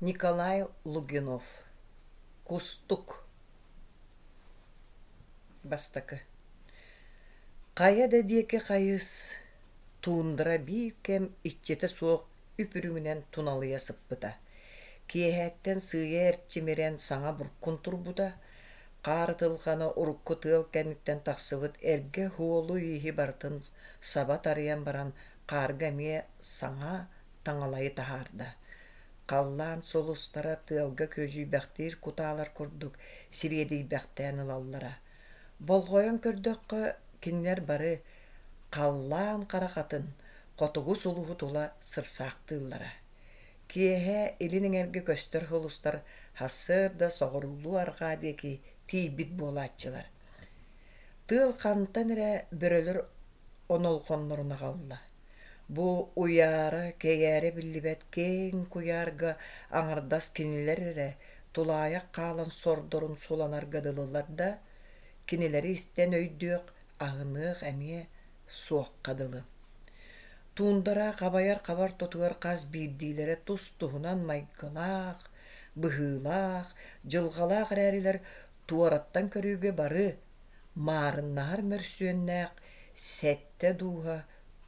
Николай Лугинов Кустук Бастакы Хайа да диэки хайыс, туундара биир кэм иччитэ суох үп-үрүҥүнэн туналыйа сыппыта. Киэһэттэн сыыйа эрчимирэн саҥа буркун турбута, хаар ытылҕана урукку тыал кэнниттэн тахсыбыт эргэ уолу-ииһи барытын саба тарыйан баран хаарга эмиэ саҥа таҥалайы таһаарда. Халлаан сулустара тыалга күөдьүйбэхтиир кутаалар курдук сириэдийбэхтээн ылаллара. Болҕойон көрдөххө, кинилэр бары халлаан харахатын, хотугу сулуһу тула сырсаахтыыллара. Киэһэ илин эҥэргэ көстөр сулустар сарсыарда соҕуруулуу-арҕаа диэки тиийбит буолааччылар. Тыал хантан эрэ бөрөлөр онолҕоннорун аҕалла. Бу уйаара, кэйээрэ биллибэт киэҥ куйаарга аҥардас кинилэр эрэ тулаайах хаалан сордорун суланарга дылылар да, кинилэри истэн өйдүөх, аһыныах эмиэ суохха дылы. Туундара хабайар хабар тотугар хас биирдиилэрэ тус-туһунан майгылаах, быһыылаах, дьылҕалаах эрээрилэр туораттан көрүүгэ бары маарыннаһар мөрсүөннээх сэттэ дууһа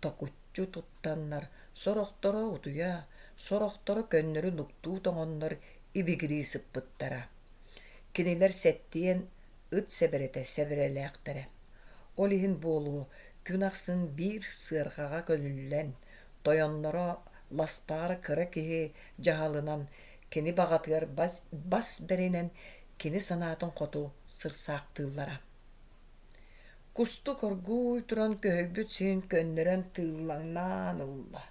токуччу туттаннар, сорохторо утуйа, сорохторо көннөрү нуктуу тоҥоннор ибигирии сыппыттара. Кинилэр сэттиэн ыт сэбэрэтэ сэбэрэлээхтэрэ. Ол иһин буолуо, күн ахсын биир сыарҕаҕа көлүллэн, тойонноро ластаҕар кыра киһи дьаһалынан кини баҕатыгар бас, бас бэринэн кини санаатын хоту сырсаахтыыллара. Кустук оргууй туран көһүйбүт сирин көннөрөн тыыллаҥнаан ылла.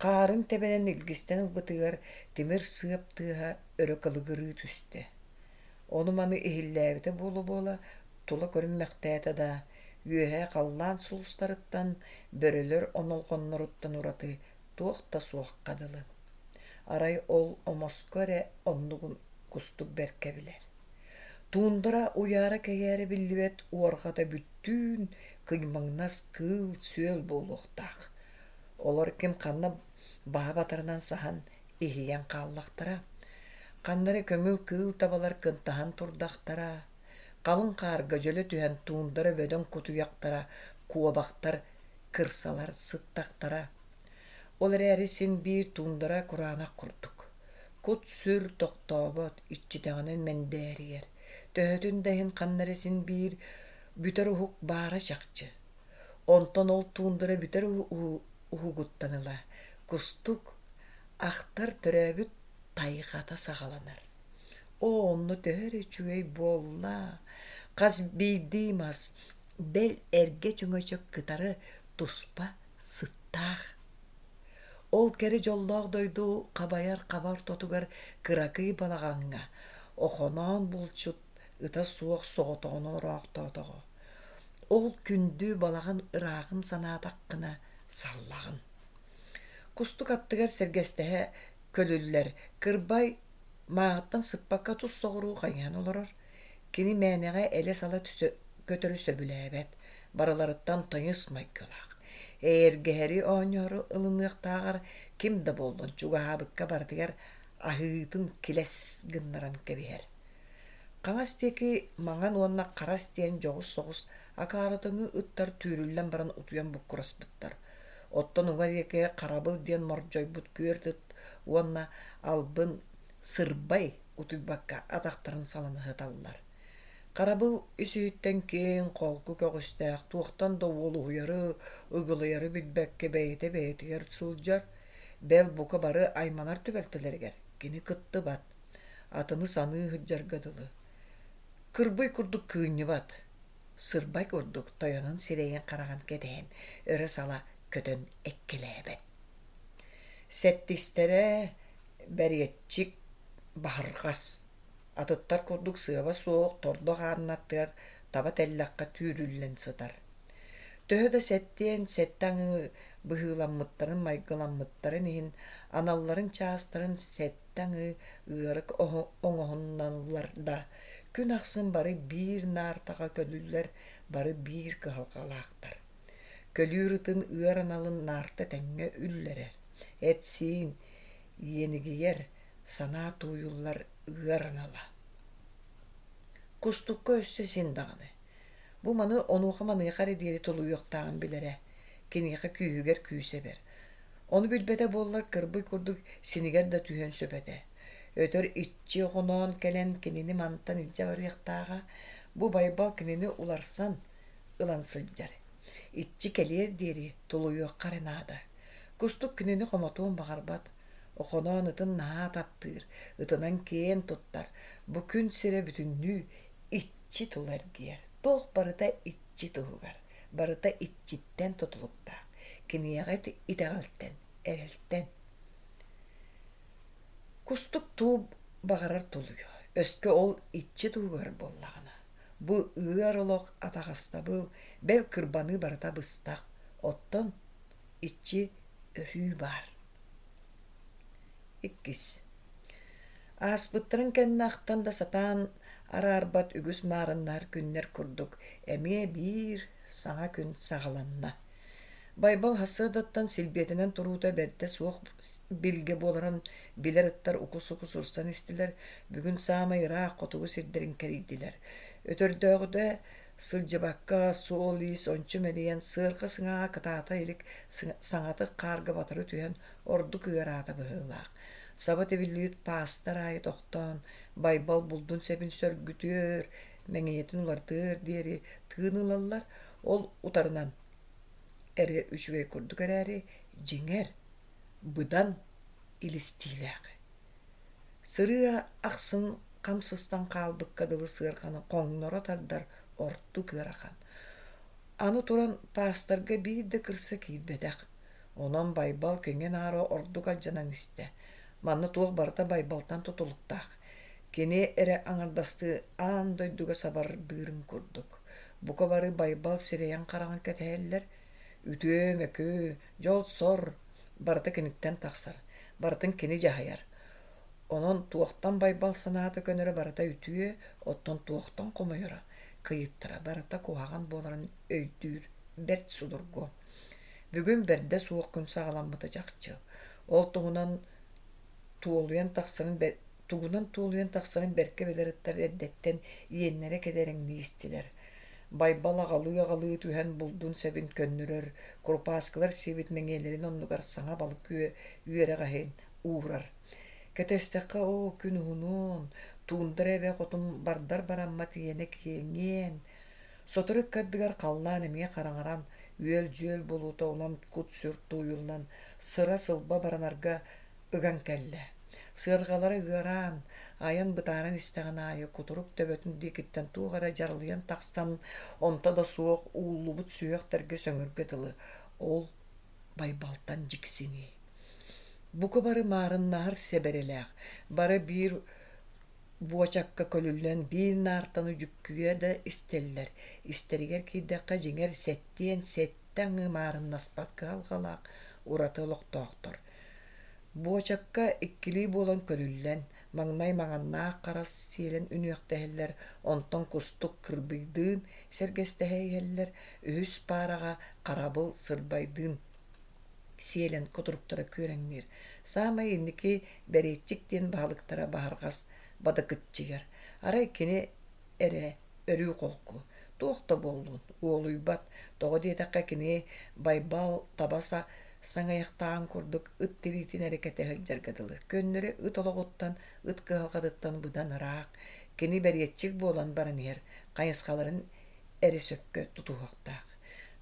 Хаарын тэбэнэн илгистэн ылбытыгар тимир сыап тыаһа өрө кылыгырыы түстэ. Ону-маны иһиллээбитэ буола-буола тула көрүммэхтээтэ да, үөһэ халлаан сулустарыттан, бөрөлөр онолҕонноруттан ураты туох да суохха дылы. Арай ол омоско эрэ оннугун кустук бэркэ билэр. Туундара уйаара-кэйээрэ биллибэт уорҕата бүттүүн кыймаҥнас кыыл-сүөл буолуохтаах. Олор ким ханна баһа батарынан саһан, иһийэн хааллахтара. Ханна эрэ көҥүл кыыл табалар кынтаһан турдахтара. Халыҥ хаарга дьөлө түһэн туундара бөдөҥ кутуйахтара, куобахтар, кырсалар сыттахтара. Ол эрээри син биир туундара кураанах курдук. Кут-сүр тохтообот, иччитэҕинэн мэндээрийэр. Төһөтүн да иһин ханна эрэ син биир бүтэр уһук баара чахчы. Онтон ол туундара бүтэр уһугуттан ыла кустук ахтар төрөөбүт тайҕата саҕаланар. Оо, онно төһө эрэ үчүгэй буолла, хас биирдии мас, бэл эргэ чөҥөчөк кытары туспа сыттаах. Ол кэрэ дьоллоох дойду хабайар хаба ортотугар кыракый балаҕаҥҥа Охоноон булчут ыта суох соҕотоҕун олороохтоотоҕо. Ол күндү балаҕан ырааҕын санаатаххына саллаҕын. Кустук аттыгар сэргэстэһэ көлүллэр кырбай мааҕыттан сыппакка тус соҕуруу хайыһан олорор. Кини мээнэҕэ элэ-сала көтөрү сөбүлээбэт, барыларыттан тыйыс майгылаах. Эйэргэһэри оонньоору ылыныахтааҕар ким да буоллун чугаһаабыкка барытыгар аһыытын килэс гыннаран кэбиһэр. Хаҥас диэки маҥан уонна харас диэн дьоҕус соҕус акаарытыҥы ыттар түүрүллэн баран утуйан буккураспыттар. Оттон уҥа диэки харабыл диэн мордьойбут күөрт ыт уонна албын сырбай утуйбакка атахтарын салана сыталлар. Харабыл ис-иһиттэн киэҥ, холку көҕүстээх, туохтан да уолуһуйары, ыгылыйары билбэккэ бэйэтэ бэйэтигэр сылдьар, бэл бука бары айманар түбэлтэлэригэр кини кыттыбат, атыны саныы сылдьарга дылы. Кырбый курдук кыынньыбат, сырбай курдук тойонун сирэйин-хараҕын кэтэһэн өрө-сала көтөн эккэлээбэт. Сэттистэрэ бэриэтчик баһырҕас, атыттар курдук сыаба суох тордох ааннаттыгар таба тэллэххэ түүрүллэн сытар. Төһө да сэттиэн сэттэ аҥыы быһыыламмыттарын майгыламмыттарын иһин аналларын чаастарын сэттэ аҥыы ыарык оҥоһунналлар да, күн ахсын бары биир наартаҕа көлүллэр, бары биир кыһалҕалаахтар. Көлүүр ытын ыар аналын наарта тэҥҥэ үллэрэр, эт-сиин иэнигийэр, Санаа тууйуллар ыар анала. Кустукка өссө син даҕаны. Бу маны онуоха-маныаха эрэ диэри тулуйуохтааҕын билэрэ, киниэхэ күүһүгэр күүс эбэр. Ону билбэтэ буоллар кырбый курдук синигэр да түһүөн сөп этэ. Өтөр иччи оҕоноон кэлэн кинини мантан илдьэ барыахтааҕа, бу Байбал кинини уларсан ылан сылдьар. Иччи кэлиэр диэри тулуйуохха эрэ наада. Кустук кинини хомотуон баҕарбат, Охоноон ытын наһаа таптыыр, ытынан киэн туттар, бу күн сирэ бүтүннүү иччи тула эргийэр. Туох барыта иччи туһугар, барыта иччиттэн тутулуктаах, киниэхэ итэҕэлтэн, эрэлтэн. Кустук туу баҕарар тулуйуо, өскө ол иччи туһугар буоллаҕына. Бу ыар олох атаҕастабыл, бэл кырбаныы барыта быстах, оттон иччи өрүү баар. Иккис. Ааспыттарын кэннэ ахтан да сатаан араарбат үгүс маарыннаһар күннэр курдук эмиэ биир саҥа күн саҕаланна. Байбал сарсыардаттан силбиэтэнэн туруута бэрдэ суох билгэ буоларын билэр ыттар уку-суку сырсан истилэр, бүгүн саамай ыраах хотугу сирдэрин кэрийдилэр. Өтөрдөөҕүтэ сылдьыбакка, суол-иис ончу мэлийэн, сыарҕа сыҥааҕа кытаата илик саҥатык хаарга батары түһэн ордук ыараата быһыылаах. Саба тибиллибит паастар аайы тохтоон, Байбал булдун сэбин сөргүтүөр, мэҥийэтин уларытыар диэри тыын ылаллар, ол утарынан эрэ үчүгэй курдук эрээри, дьиҥэр, быдан илистиилээх. Сырыы ахсын хам сыстан хаалбыкка дылы сыарҕаны хоҥноро тардар ордук ыарахан. Аны туран паастарга биир да кырса киирбэтэх. Онон Байбал киҥин-аара ордук алдьанан истэ. Манна туох барыта Байбалтан тутулуктаах. Кини эрэ аҥардастыы аан дойдуга сабардыырын курдук. Бука бары Байбал сирэйин-хараҕын кэтэһэллэр. Үтүө-мөкү, дьол-сор барыта киниттэн тахсар, барытын кини дьаһайар. Онон туохтан Байбал санаата көнөрө барыта үтүө, оттон туохтан хомойоро, кыйыттара барыта куһаҕан буоларын өйдүүр бэрт судургу. Бүгүн бэрдэ суох күн саҕаламмыта чахчы. Ол туһунан туолуйан тахсарын тугунан туолуйан тахсарын бэркэ билэр ыттар эрдэттэн иэннэрэ кэдэрэҥнии истилэр. Байбал аҕалыы-аҕалыы түһэн булдун сэбин көннөрөр, курупааскылар сиэбит мэҥиэлэрин оннугар саҥа балык үөрэҕэһин уурар. Кэтэстэххэ оо, күн уһунуон, туундара эбэ хотун бардар бараммат иэнэ киэҥиэн. Сотору ыккардыгар халлаан эмиэ хараҥаран, үөл-дьүөл буолуута улам кут-сүр тууйуллан, сыра-сылба баранарга ыган кэллэ. Сыарҕалара ыараан, айан бытааран истэҕин аайы кутурук төбөтүн диэкиттэн туох эрэ дьаралыйан тахсан, онто да суох ууллубут сүһүөхтэргэ сөҥөргө дылы, ол Байбалтан дьиксинии. Бука бары маарыннаһар сэбэрэлээх, бары биир буочакка көлүллэн биир наартаны дьүккүйэ да истэллэр, истэригэр киирдэххэ дьиҥэр сэттиэн сэттэ аҥыы маарыннаспат кыһалҕалаах ураты олохтоохтор. Буочакка иккилии буолан көлүллэн, маҥнай маҥаннаах харас сиэлэн үнүөхтэһэллэр, онтон кустук кырбыйдыын сэргэстэһэ иһэллэр, үһүс паараҕа харабыл сырбайдыын сиэлэн кутуруктара күөрэҥниир. Саамай инники бэриэтчик диэн баһылыктара баһырҕас бадыкыччыйар. Арай кини эрэ өрүү холку, туох да буоллун, уолуйбат, тоҕо диэтэххэ кини Байбал таба саҥыйахтааҕын курдук ыт тириитин эрэ кэтэ сылдьарга дылы, көннөрү ыт олоҕуттан, ыт кыһалҕатыттан быдан ыраах, кини бэриэтчик буолан баран иһэр хайысхаларын эрэ сөпкө тутуһуохтаах.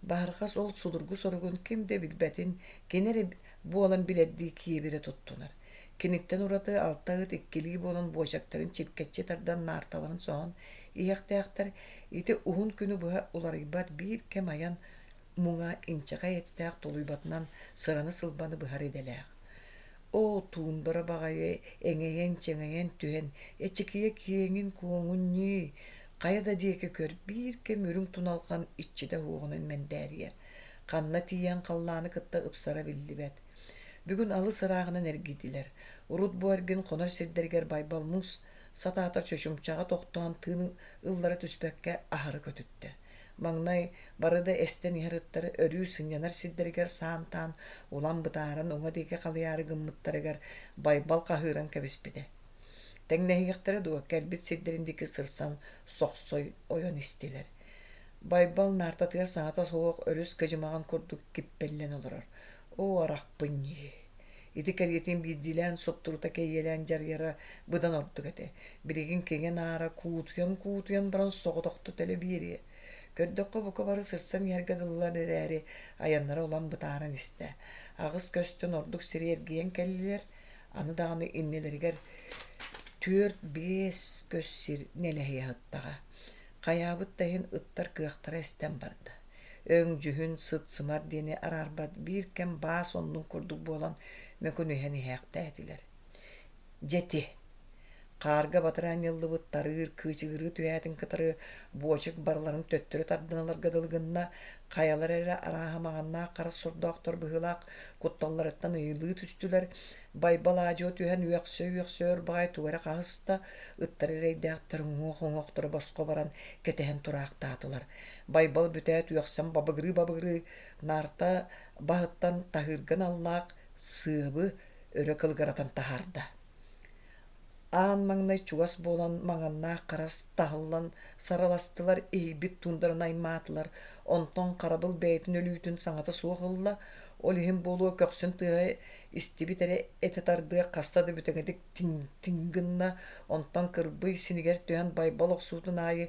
Баһырҕас ол судургу соругун ким да билбэтин, кини эрэ буолан билэрдии киэбирэ туттунар. Киниттэн ураты алта ыт иккилии буолан буочактарын чиркэччи тардан наарталарын соһон иһиэхтээхтэр. Ити уһун күнү быһа уларыйбат биир кэм айан муҥа инчэҕэй эттээх тулуйбатынан сыраны-сылбаны быһар идэлээх. Оо, туундара баҕайы эҥэйэн-чэҥэйэн түһэн, эчикийэ киэҥин-куоҥун ньии, хайа да диэки көр, биир кэм үрүҥ туналҕан иччитэ уоҕунан мэндээрийэр. Ханна тиийэн халлааны кытта ыпсара биллибэт. Бүгүн алыс ырааҕынан эргийдилэр. Урут бу эргин хонор сирдэригэр Байбал муус сатаатар чочумчаҕа тохтоон тыын ыллара түспэккэ аһары көтүттэ. Маҥнай бары да эстэн иһэр ыттар өрүү сынньанар сирдэригэр саантаан улам бытааран уҥа диэки халыйаары гыммыттарыгар Байбал хаһыыран кэбиспитэ. Тэҥнэһиэхтэрэ дуо, кэлбит сирдэрин диэки сырсан сохсой ойон истилэр. Байбал наартатыгар саҥата суох өрүс кыдьымаҕын курдук киппэллэн олорор. Оо, арахпын ньии! Ити кэриэтин биирдиилээн суптурута кэйиэлээн дьарыйара быдан ордук этэ. Билигин киҥэ-наара куутуйан-куутуйан баран соҕотохто төлө биэриэ. Көрдөххө бука бары сырсан иһэргэ дылылар эрээри, айаннара улам бытааран истэ. Аҕыс көстөн ордук сири эргийэн кэллилэр, аны даҕаны иннилэригэр түөрт-биэс көс сир нэлэһийэ сыттаҕа. Хайаабыт да иһин ыттар кыахтара эстэн барда. Өҥ-дьүһүн, сыт-сымар диэни араарбат биир кэм баас оннун курдук буолан мөкүнүһэн иһээхтээтилэр. Дьэ ити, хаарга батары анньыллыбыт тарыыр кыычыгырыы түһээтин кытары буочук барыларын төттөрү тардан ыларга дылы гынна, хайалара эрэ арааһа маҥаннаах харас сордоохтор быһыылаах кутталларыттан ыйылыы түстүлэр, Байбал аадьуо түһэн үөхсэ-үөхсэ өр баҕайы тугу эрэ хаһыста, ыттар эрэйдээхтэр уҥуох-уҥуохтара босхо баран кэтэһэн тураахтаатылар. Байбал бүтээт үөхсэн бабыгырыы-бабыгырыы наарта баһыттан таһыырга аналлаах сыабы өрө кылыгыратан таһаарда. Аан маҥнай чугас буолан маҥаннаах харас таһыллан сарыластылар, иһийбит туундараны аймаатылар, онтон харабыл бэйэтин өлүүтүн саҥата суох ылла, ол иһин буолуо көхсүн тыаһа истибит эрэ этэ тардыа хаста да бүтэҥитик тиҥ-тиҥ гынна, онтон кырбый синигэр түһэн Байбал охсуутун аайы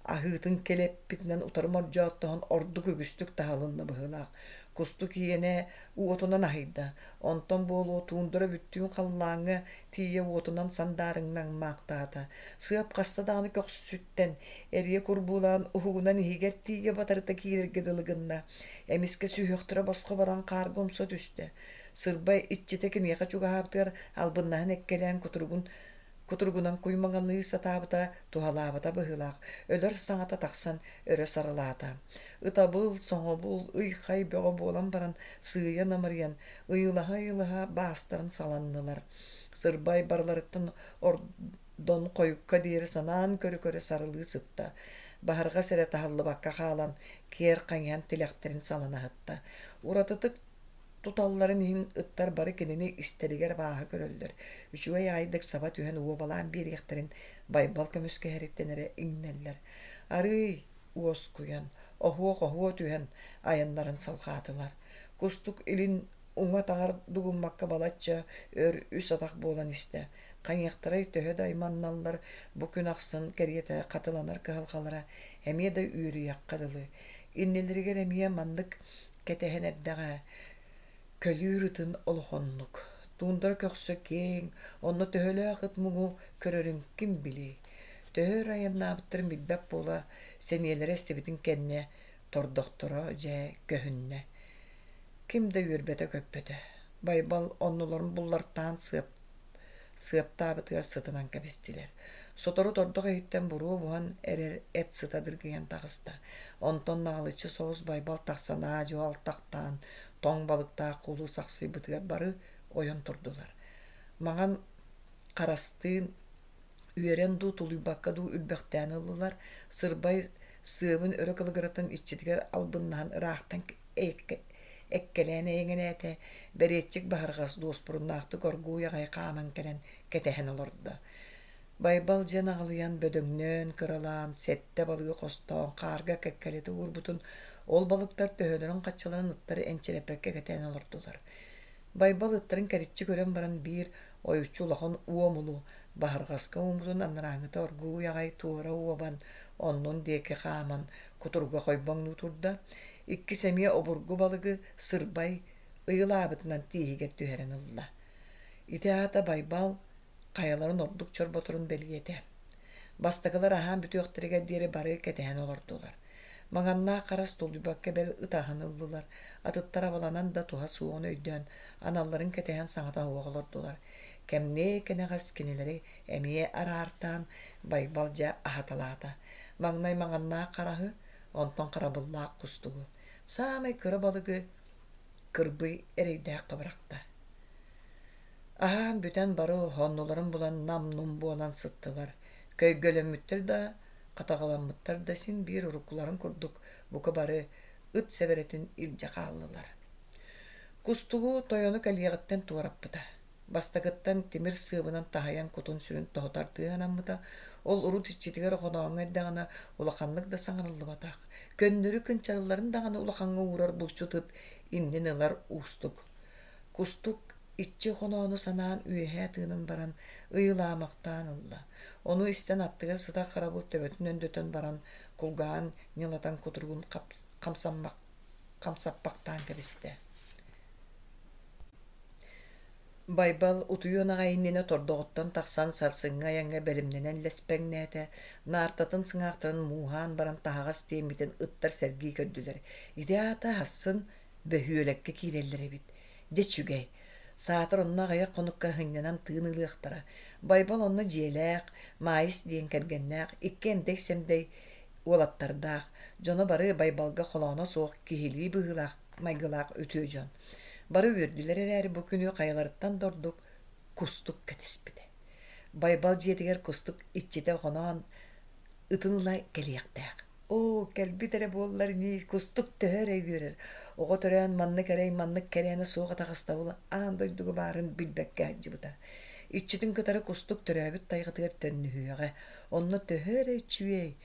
аһыытын кэлэппитинэн утары мордьооттоһон ордук үгүстүк таһылынна быһыылаах. Кустук иэнэ уотунан аһыйда, онтон буолуо туундара бүттүүн халлааҥҥа тиийэ уотунан сандаарыҥнаҥмаахтаата. Сыап хаста даҕаны көхсүттэн эрийэ курбуулаан уһугунан иһигэр тиийэ батарыта киирэргэ дылы гынна. Эмискэ сүһүөхтэрэ босхо баран хаарга умса түстэ. Сырбай иччитэ киниэхэ чугаһаабытыгар албыннаһан эккэлээн кутуругун кутуругунан куймаҥалыы сатаабыта туһалаабата быһыылаах, өлөр саҥата тахсан өрө сарылаата. Ытабыл, соҥобул, ый-хай бөҕө буолан баран сыыйа намырыйан, ыйылаһа-ыйылаһа баастарын саланнылар. Сырбай барыларыттан ордон хойукка диэри санаан көрө-көрө сарылыы сытта. Баһырҕас эрэ таһыллыбакка хаалан, киэр хайыһан тилэхтэрин салана сытта. Уратытык туталларын иһин ыттар бары кинини истэригэр абааһы көрөллөр, үчүгэй аҕайдык саба түһэн уобалаан биэриэхтэрин Байбал көмүскэһэриттэн эрэ иҥнэллэр. Арыый уоскуйан, оһуох-оһуо түһэн айаннарын салҕаатылар. Кустук илин уҥа атаҕар дугуммакка балачча өр үс атах буолан истэ. Хайыахтарай төһө да айманналлар, бу күн ахсын кэриэтэ хатыланар кыһалҕалара эмиэ да үөрүйэххэ дылы. Иннилэригэр эмиэ маннык кэтэһэн эрдэҕэ көлүүр ытын олохоннук, туундара көхсө киэҥ, онно төһөлөөх ыт муҥу көрөрүн ким билиэй. Төһө өр айаннаабыттарын билбэт буола сэниэлэрэ эстибитин кэннэ тордохторо дьэ көһүннэ. Ким да үөрбэтэ-көппөтө. Байбал оннуларын буллартаан сыап сыаптаабытыгар сытынан кэбистилэр. Сотору тордох иһиттэн буруо буһан эрэр эт сыта дыргыйан таҕыста. Онтон наҕылыччы соҕус Байбал тахсан аа-дьуо алтахтаан, тоҥ балыктаах куулу сахсыйбытыгар бары ойон турдулар. Маҥан харастыын үөрэн дуу, тулуйбакка дуу үрбэхтээн ыллылар. Сырбай сыабын өрө кылыгыратан иччитигэр албыннаһан ыраахтан эккэлээн эйэҥэлээтэ, бэриэччик баһырҕас дуоспуруннаахтык оргууй аҕай хааман кэлэн кэтэһэн олордо. Байбал дьиэн аҕылыйан бөдөҥнөөн, кыралаан, сэттэ балыгы хостоон хаарга кэккэлэтэ уурбутун ол балыктар төһөлөрүн-хаччаларын ыттар энчирэппэккэ кэтээн олордулар. Байбал ыттарын кэриччи көрөн баран биир ойуччу улахан уомулу баһырҕаска ууммутун анарааҥҥыта оргууй аҕай туора уобан, оннун диэки хааман кутуруга хойбоҥнуу турда. Иккис эмиэ обургу балыгы сырбай ыйылаабытынан тииһигэр түһэрэн ылла. Ити аата Байбал хайаларын ордук чорботорун бэлиэтэ. Бастакылар аһаан бүтүөхтэригэр диэри бары кэтэһэн олордулар. Маҥаннаах харас тулуйбакка бэл ытаһан ыллылар, атыттар абаланан да туһа суоҕун өйдөөн, аналларын кэтэһэн саҥата суох олордулар. Кэмниэ кэнэҕэс кинилэри эмиэ араартаан Байбал дьэ аһаталаата. Маҥнай маҥаннаах хараһы, онтон харабыллаах кустугу, саамай кыра балыгы кырбый эрэйдээххэ бырахта. Аһаан бүтэн бары оннуларын булан нам-нум буолан сыттылар. Көйгөлөммүттэр да, хатаҕаламмыттар да син биир уруккуларын курдук бука бары ыт сэбэрэтин илдьэ хааллылар. Кустугу тойону кэлиэҕиттэн туораппыта. Бастакыттан тимир сыабынан таһыйан кутун-сүрүн тоһутардыы анаммыта, ол урут иччитигэр Охонооҥҥо эрдэҕинэ улаханнык да саҥарыллыбатах, көннөрү кынчарылларын даҕаны улахаҥҥа уурар булчут ыт иннин ылар уустук. Кустук иччи Охоноону санаан үөһээ тыынан баран ыйылаамахтаан ылла. Ону истэн аттыгар сытар харабыл төбөтүн өндөтөн баран кулгааҕын ньылатан кутуругун хамсаппахтаан кэбистэ. Байбал утуйуон аҕай иннинэ тордоҕуттан тахсан сарсыҥҥы айаҥҥа бэлэмнэнэн лэспэҥнээтэ, наартатын сыҥаахтарын мууһаан баран таһаҕас тиэммитин ыттар сэргии көрдүлэр. Ити аата аһассын бөһүөлэккэ киирэллэр эбит. Дьэ үчүгэй. Саатар онно аҕыйах хонукка сынньанан тыын ылыахтара. Байбал онно дьиэлээх, Маайыс диэн кэргэннээх, икки эмдэй-сэмдэй уолаттардаах, дьоно бары Байбалга холооно суох киһилии быһыылаах майгылаах үтүө дьон. Бары үөрдүлэр эрээри бу күнү хайаларыттан да ордук Кустук кэтэспитэ. Байбал дьиэтигэр Кустук иччитэ хоноон ытын ыла кэлиэхтээх. Оо, кэлбит эрэ буоллар ньии, Кустук төһө эрэ үөрэр. Оҕо төрөөн маннык эрэй, маннык кэрээнэ суох атаҕастабыл аан дойдуга баарын билбэккэ сылдьыбыта. Иччитин кытары Кустук төрөөбүт тайҕатыгар төннүһүөҕэ. Онно төһө эрэ үчүгэй,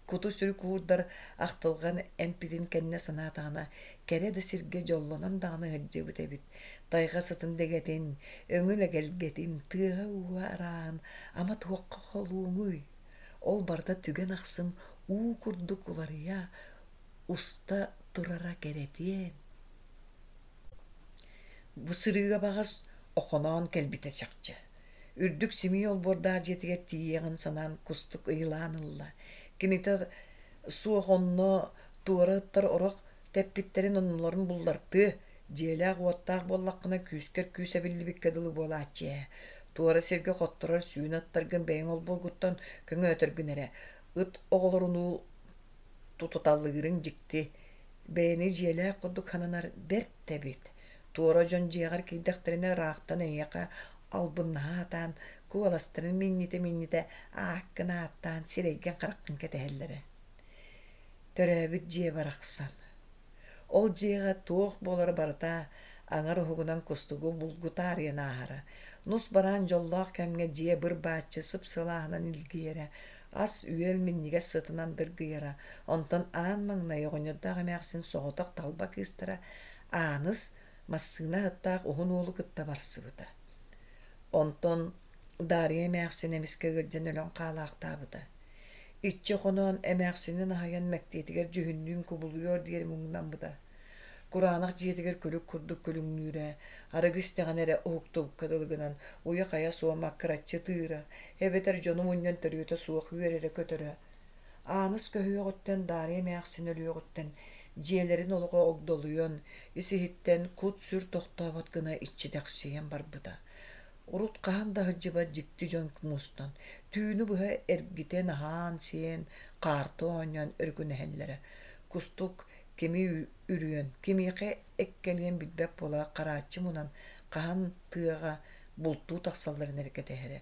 Куту-сүрү куурдар ахтылҕан эмпитин кэннэ санаатаҕына, кэрэ да сиргэ дьоллонон даҕаны сылдьыбыт эбит. Тайҕа сытын дэгэтин, өҥүн эгэлгэтин, тыаһа-ууһа арааһын ама туохха холуоҥуй? Ол барыта түгэн ахсын уу курдук уларыйа, уста турара кэрэтиэн. Бу сырыыга баҕас Охоноон кэлбитэ чахчы. Үрдүк симии олбуордаах дьиэтигэр тиийиэҕин санаан кустук ыйылаан ылла. Кинитэ суох онно туора ыттар орох тэппиттэрин оннуларын буллартыа, дьиэлээх-уоттаах буоллаххына күүскэр күүс эбиллибиккэ дылы буолааччы ээ. Туора сиргэ хотторор сүүнэ ыттаргын бэйэҥ олбуоргуттан көҥөөтөргүн эрэ, ыт оҕолорунуу тутуталыырыҥ дьикти. Бэйэни дьиэлээх курдук сананар бэрт да эбит. Туора дьон дьиэҕэр киирдэхтэринэ ыраахтан эйиэхэ албыннаһа сатаан, куоластарын минньитэ-минньитэ ааккын ааттаан сирэйгин-хараххын кэтэһэллэрэ. Төрөөбүт дьиэ барахсан. Ол дьиэҕэ туох буолара барыта аҥар уһугунан кустугу булгу таарыйан ааһара. Нус бараан дьоллоох кэмҥэ дьиэ быр-бааччы сып-сылааһынан илгийэрэ, ас-үөл минньигэс сытынан дыргыйара, онтон аан маҥнай оҕонньордоох эмээхсин соҕотох талба кыыстара Ааныс массыына аһыттаах уһун уолу кытта барсыбыта. Онтон Даарыйа эмээхсин эмискэ ыалдьан өлөн хаалаахтаабыта. Иччи хоноон эмээхсинин аһыйан мэктиэтигэр дьүһүннүүн кубулуйуор диэри муҥнаммыта. Кураанах дьиэтигэр күлүк курдук күлүҥнүүрэ, арыгы истэҕинэ эрэ уһуктубукка дылы гынан уйа-хайа суох маккыраччы ытыыра, эбэтэр дьону мунньан төрүөтэ суох үөрэрэ-көтөрө. Ааныс көһүөҕүттэн Даарыйа эмээхсин өлүөҕүттэн дьиэлэрин олоҕо огдолуйан, ис-иһиттэн кут-сүр тохтообот гына иччитэхсийэн барбыта. Урут хаһан да сылдьыбат дьикти дьон мустан, түүнү быһа эргитэн аһаан-сиэн, хаарты оонньоон өрүкүнэһэллэрэ. Кустук кими үрүөн, кимиэхэ эккэлиэн билбэт буола харааччы мунан, хаһан тыаҕа бултуу тахсалларын эрэ кэтэһэрэ.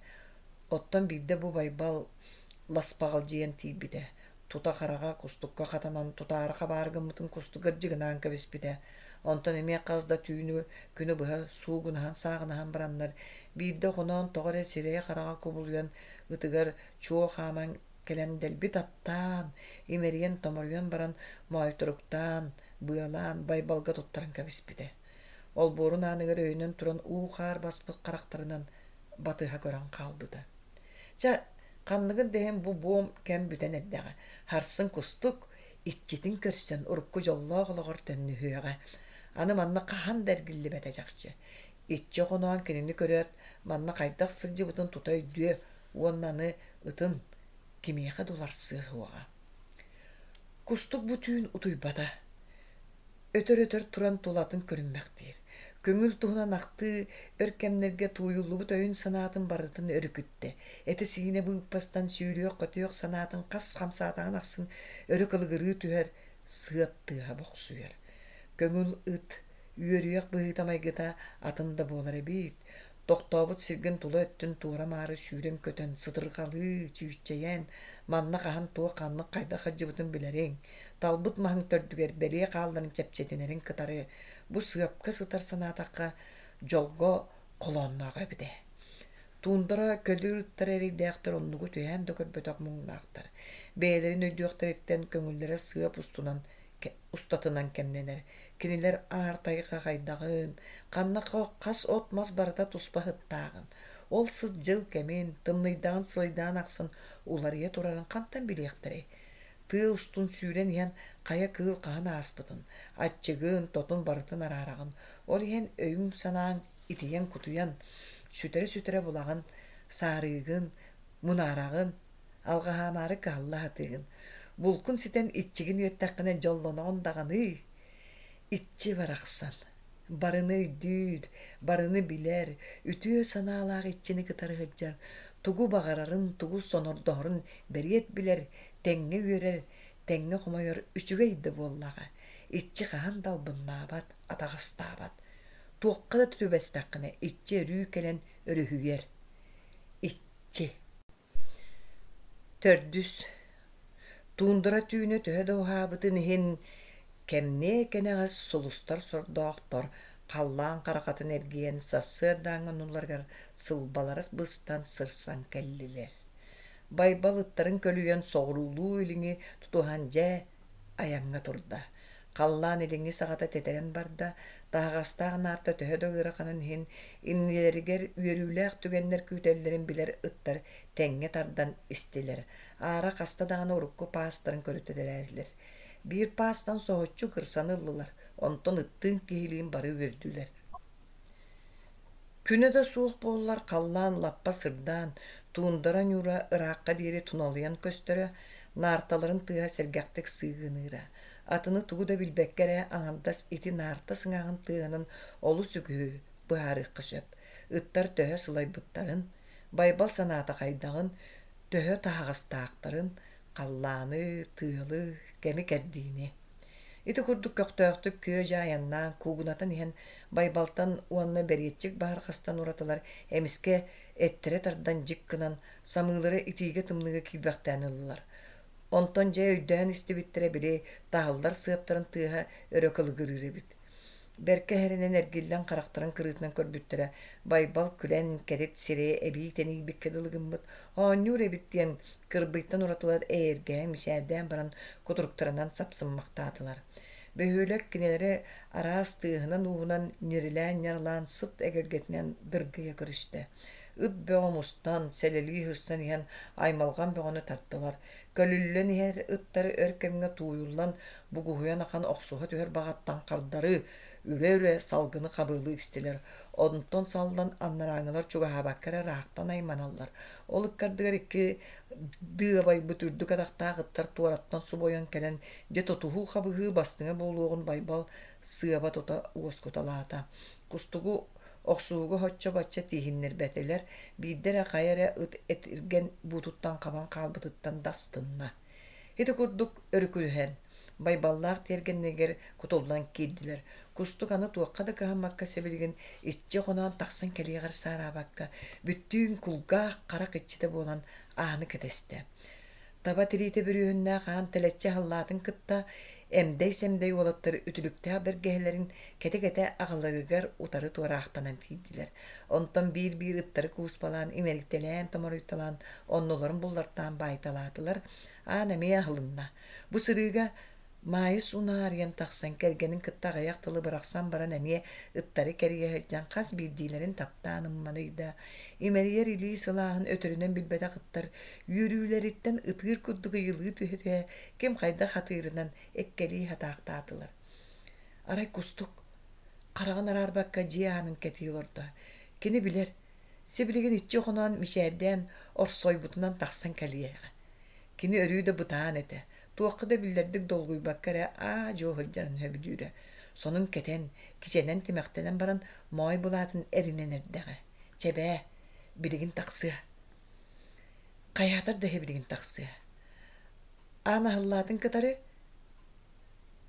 Оттон биирдэ бу Байбал ласпаҕалдьыйан тиийбитэ, тута хараҕа кустукка хатанан тутаары хабаары гыммытын кустук ырдьыгынаан кэбиспитэ. Онтон эмиэ хас да түүнү күнү быһа суугунаһан-сааҕынаһан бараннар, биирдэ хоноон тоҕо эрэ сирэйэ-хараҕа кубулуйан, ытыгар чуо хааман кэлэн дэлби таптаан, имэрийэн-томоруйан баран моойторуктаан, быалаан Байбалга туттаран кэбиспитэ. Олбуорун ааныгар өйөнөн туран уу-хаар баспыт харахтарынан батыһа көрөн хаалбыта. Чэ, ханныгын да иһин бу буом кэм бүтэн эрдэҕэ. Сарсын кустук иччитин көрсөн урукку дьоллоох олоҕор төннүһүөҕэ. Аны манна хаһан да эргиллибэтэ чахчы. Иччи хоноон кинини көрөөт, манна хайдах сылдьыбытын тута өйдүө уонна аны ытын кимиэхэ да уларсыа суоҕа. Кустук бу түүн утуйбата. Өтөр-өтөр туран тулатын көрүммэхтиир. Көҥүл туһунан ахтыы өр кэмнэргэ тууйуллубут өйүн-санаатын барытын өрүкүттэ. Этэ-сиинэ быыппастан сүүрүөх-көтүөх санаатын хас хамсаатаҕын ахсын өрө кылыгырыы түһэр, сыап тыаһа бохсуйар. Көҥүл ыт үөрүйэх быһыыта-майгыта атын да буолар эбит. Тохтообут сиргин тула өттүн туора-маары сүүрэн-көтөн, сытырҕалыы, чүүччэйэн, манна хаһан туох ханнык хайдах сылдьыбытын билэриҥ, талбыт маһыҥ төрдүгэр бэлиэ хаалларын чэпчэтинэрин кытары бу сыапка сытар санаатахха, дьолго холоонноох эбит ээ. Туундара көлүүр ыттар эрэйдээхтэр оннугу түһээн да көрбөтөх муҥнаахтар. Бэйэлэрин өйдүөхтэриттэн көҥүллэрэ сыап устунан устатынан кэмнэнэр. Кинилэр аар тайҕа хайдаҕын, ханна хас от-мас барыта туспа сыттааҕын, ол сыт дьыл кэмин, тымныйдаҕын сылайдаҕын ахсын уларыйа турарын хантан билиэхтэрэй? Тыа устун сүүрэн иһэн хайа кыыл хаһан ааспытын, аччыгын, тотун барытын араараҕын. Ол иһэн өйүҥ-санааҥ итийэн-кутуйан, сүтэрэ-сүтэрэ булаҕын, саарыыгын, мунаараҕын, алҕаһаамаары кыһалла сатыыгын. Булкун ситэн иччигин үөттэххинэ дьоллоноҕун даҕаны. Иччи барахсан, барыны өйдүүр, барыны билэр, үтүө санаалаах иччини кытары сылдьар, тугу баҕарарын, тугу сонордоһорун бэриэт билэр, тэҥҥэ үөрэр, тэҥҥэ хомойор үчүгэй да буоллаҕа. Иччи хаһан да албыннаабат, атаҕастаабат. Туохха да түбэстэххинэ иччи өрүү кэлэн өрүһүйэр. Иччи. Төрдүс. Туундара түүнэ төһө да уһаабытын иһин, кэмниэ кэнэҕэс сулустар сордоохтор халлаан харахатын эргийэн сарсыардааҥҥы оннуларыгар сылбалара быстан сырсан кэллилэр. Байбал ыттарын көлүйэн соҕуруулуу-илиҥи тутуһан дьэ айаҥҥа турда. Халлаан илиҥҥи саҕата тэтэрэн барда, таһаҕастаах наарта төһө да ыараханын иһин, иннилэригэр үөрүүлээх түгэннэр күүтэллэрин билэр ыттар тэҥҥэ тардан истилэр. Аара хаста даҕаны урукку паастарын көрүтэлээтилэр. Биир паастан соһуччу кырсаны ыллылар, онтон ыттыын киһилиин бары үөрдүлэр. Күнэ да суох буоллар, халлаан лаппа сырдаан, туундара ньуура ыраахха диэри туналыйан көстөрө, наарталарын тыаһа сэргэхтик сыыгыныыра. Атыны тугу да билбэккэ эрэ аҥардас ити наарта сыҥааҕын тыаһынан олус үгүһү быһаарыахха сөп. Ыттар төһө сылайбыттарын, Байбал санаата хайдаҕын, төһө таһаҕастаахтарын, халлааны, тыалы, кэми-кэрдиини. Ити курдук көхтөөхтүк күө-дьаа айаннаан куугунатан иһэн Байбалтан уонна бэриэтчик баһырҕастан уратылар эмискэ эттэрэ тардан дьик гынан, самыылара итиигэ-тымныыга киирбэхтээн ыллылар. Онтон дьэ өйдөөн истибиттэрэ били таһыллар сыаптарын тыаһа өрө кылыгырыыр эбит. Бэркэ эһэринэн эргиллэн харахтарын кырыытынан көрбүттэрэ, Байбал күлэн кэтит сирэйэ эбии тэнийбиккэ дылы гыммыт, оонньуур эбит диэн кырбыйтан уратылар эйэргэһэн мичээрдээн баран кутуруктарынан сапсыммахтаатылар. Бөһүөлэк кинилэри араас тыаһынан-ууһунан ньирилээн-ньарылаан сыт эгэлгэтинэн дыргыйа көрүстэ. Ыт бөҕө мустан, сэлэлии сырсан иһэн аймалҕан бөҕөнү тартылар. Көлүллэн иһэр ыттары өр кэмҥэ тууйуллан, бугуһуйан ахан охсуһа түһэр баҕаттан хардары, үрэ-үрэ салгыны хабыалыы истилэр. Онтон саллан анарааҥҥылар чугаһаабакка эрэ ыраахтан айманаллар. Ол ыккардыгар икки дыабайбыт үрдүк атахтаах ыттар туораттан субуйан кэлэн, дьэ тутуһуу-хабыһыы бастыҥа буолуоҕун Байбал сыаба тута уоскуталаата. Кустугу охсуһууга соччо-бачча тииһиннэрбэтилэр, биирдэ эрэ хайа эрэ ыт этиргэн буутуттан хабан хаалбытыттан да астынна. Ити курдук өрүкүрүһэн, Байбаллаах тиэргэннэригэр кутуллан киирдилэр. Кустук аны туохха да кыһаммакка сибилигин иччи хоноон тахсан кэлиэҕэр саараабакка, бүттүүн кулгаах харах иччитэ буолан ааны кэтэстэ. Таба тириитэ бүрүөһүннээх аан тэлэччи аһыллаатын кытта эмдэй-сэмдэй уолаттар үтүлүктээх бэргэһэлэрин кэтэ-кэтэ аҕаларыгар утары туораахтанан киирдилэр. Онтон биир-биир ыттары кууспалаан, имэрийтэлээн-томоруйталаан оннуларын буллартаан баайталаатылар. Аан эмиэ аһылынна. Бу сырыыга Маайыс унаарыйан тахсан кэргэнин кытта аҕыйах тылы бырахсан баран эмиэ ыттары кэрийэ сылдьан хас биирдиилэрин таптаан ымманыйда. Имэрийэр илии сылааһын өтөрүнэн билбэтэх ыттар үөрүүлэриттэн ытыыр курдук ыйылыы түһэ-түһэ ким хайдах хатыырынан эккэлии хатаахтаатылар. Арай Кустук хараҕын араарбакка дьиэ аанын кэтии олордо. Кини билэр, сибилигин иччи хоноон мичээрдээн орсойбутунан тахсан кэлиэҕэ. Кини өрүү да бытаан этэ, туохха да биллэрдик долгуйбакка эрэ аа-дьуо сылдьарын сөбүлүүрэ. Сонун кэтэн, кичэнэн тимэхтэнэн баран моой былаатын эринэн эрдэҕэ. Чэ бээ, билигин тахсыа. Хайаатар да билигин тахсыа. Аан аһыллаатын кытары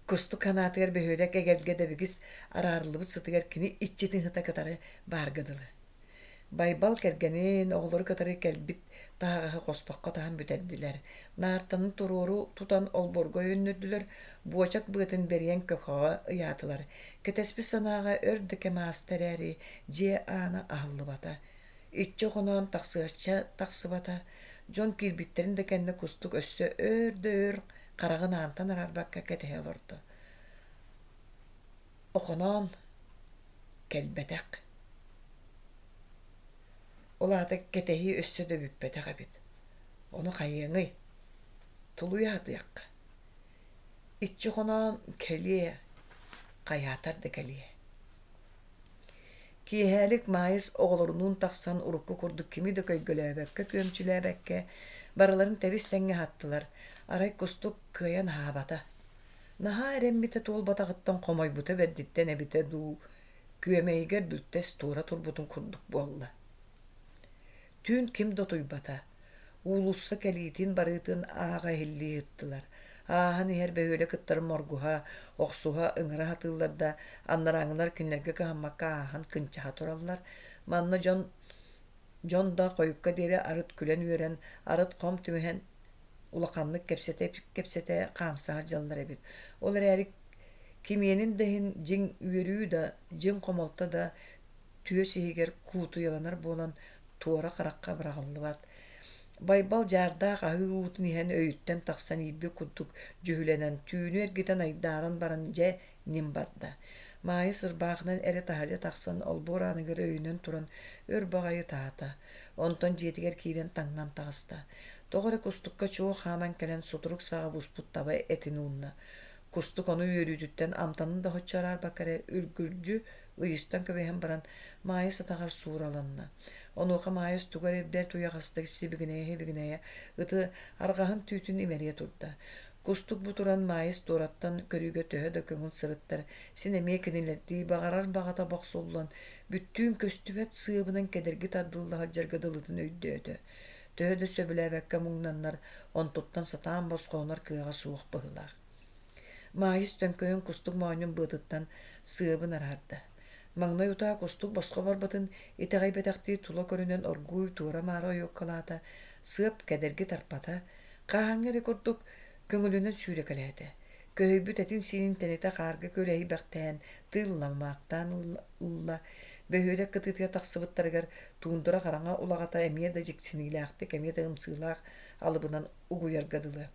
Кустук санаатыгар бөһүөлэк эгэлгэ дэбигис араарыллыбыт сытыгар кини иччитин сыта кытары баарга дылы. Байбал кэргэнин, оҕолору кытары кэлбит таһаҕаһы хоспоххо таһан бүтэрдилэр. Наартаны туруору тутан олбуорга өйөннөрдүлэр, буочак быатын бэрийэн көхөҕө ыйаатылар. Кэтэспит санааҕа өр да кэм ааста эрээри, дьиэ аана аһыллыбата. Иччи хоноон тахсыачча тахсыбата. Дьон киирбиттэрин да кэннэ Кустук өссө өөр да өр хараҕын аантан араарбакка кэтэһэ олордо. Охоноон кэлбэтэх. Ол аата кэтэһии өссө да бүппэтэх эбит. Ону хайыаҥый? Тулуйа сатыахха. Иччи хоноон кэлиэ, хайаатар да кэлиэ. Киэһээлик Маайыс оҕолорунуун тахсан урукку курдук кими да көйгөлөөбөккө, күөмчүлээбэккэ барыларын тэбис-тэҥҥэ аһаттылар. Арай Кустук кыайан аһаабата. Наһаа эрэммитэ туолбатаҕыттан хомойбута бэрдиттэн эбитэ дуу, күөмэйигэр бүлтэс туора турбутун курдук буолла. Түүн ким да утуйбата. Уулусса кэлиитин-барыытын ааҕа иһиллии ыттылар. Ааһан иһэр бөһүөлэк ыттарын моргуһа, охсуһа, ыҥыра сатыыллар да, анарааҥҥылар кинилэргэ кыһаммакка ааһан кынчаһа тураллар. Манна дьон дьон да хойукка диэри арыт күлэн-үөрэн, арыт хом түмүһэн улаханнык кэпсэтэ-кэпсэтэ хаамса сылдьаллар эбит. Ол эрээри кимиэнин да иһин дьиҥ үөрүү да, дьиҥ хомолто да түөс иһигэр куутуйаланар буолан туора харахха быраҕыллыбат. Байбал дьаардаах аһыы уутун иһэн өйүттэн тахсан иирбит курдук дьүһүлэнэн, түүнү эргитэн айдааран баран дьэ ньим барда. Маайыс ырбаахынан эрэ таһырдьа тахсан олбуор ааныгар өйүнэн туран өр баҕайы ытаата. Онтон дьиэтигэр киирэн таҥнан таҕыста. Тоҕо эрэ кустукка чуо хааман кэлэн сутурук саҕа буспут таба этин уунна. Кустук ону үөрүүтүттэн амтанын да соччо араарбакка эрэ үргүлдьү ыйыстан кэбиһэн баран Маайыс атаҕар суураланна. Онуоха Маайыс тугу эрэ бэрт уйаҕастык сибигинэйэ-сибигинэйэ ыты арҕаһын түүтүн имэрийэ турда. Кустук бу туран Маайыс туораттан көрүүгэ төһө да көҥүл сырыттар, син эмиэ кинилэрдии баҕарар баҕата бохсуллан, бүттүүн көстүбэт сыабынан кэдэрги тардылла сылдьарга дылытын өйдөөтө. Төһө да сөбүлээбэккэ муҥнаннар, онтуттан сатаан босхолонор кыаҕа суох быһыылаах. Маайыс төҥкөйөн кустук моонньун быатыттан сыабын араарда. Маҥнай утаа кустук босхо барбытын итэҕэйбэтэхтии тула көрүнэн оргууй туора-маара ойуоккалаата, сыап кэдэрги тарпата, хаһааҥҥы эрэ курдук көҥүлүнэн сүүрэкэлээтэ. Көһүйбүт этин-сиинин тэнитэ хаарга күөлэһийбэхтээн, тыылламаахтаан ылла. Бөһүөлэк кытыытыгар тахсыбыттарыгар туундара хараҥа улаҕата эмиэ да дьиксиниилээхтик, эмиэ да ымсыылаах алыбынан угуйарга дылы.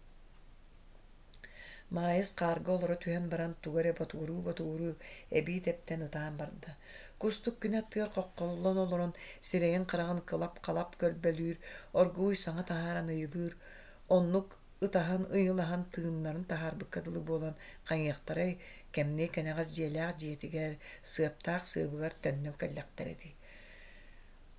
Маайыс хаарга олоро түһэн баран тугу эрэ ботугуруу-ботугуруу эбии тэптэн ытаан барда. Кустук күнэ аттыгар хоххоллон олорон сирэйин-хараҕын кылап-халап көрбөлүүр, оргууй саҥа таһааран ыйылыыр. Оннук ытаһан ыйылаһан тыыннарын таһаарбыкка дылы буолан хайыахтарай, кэмниэ кэнэҕэс дьиэлээх дьиэтигэр, сыаптаах сыабыгар төннөн кэллэхтэрэ дии.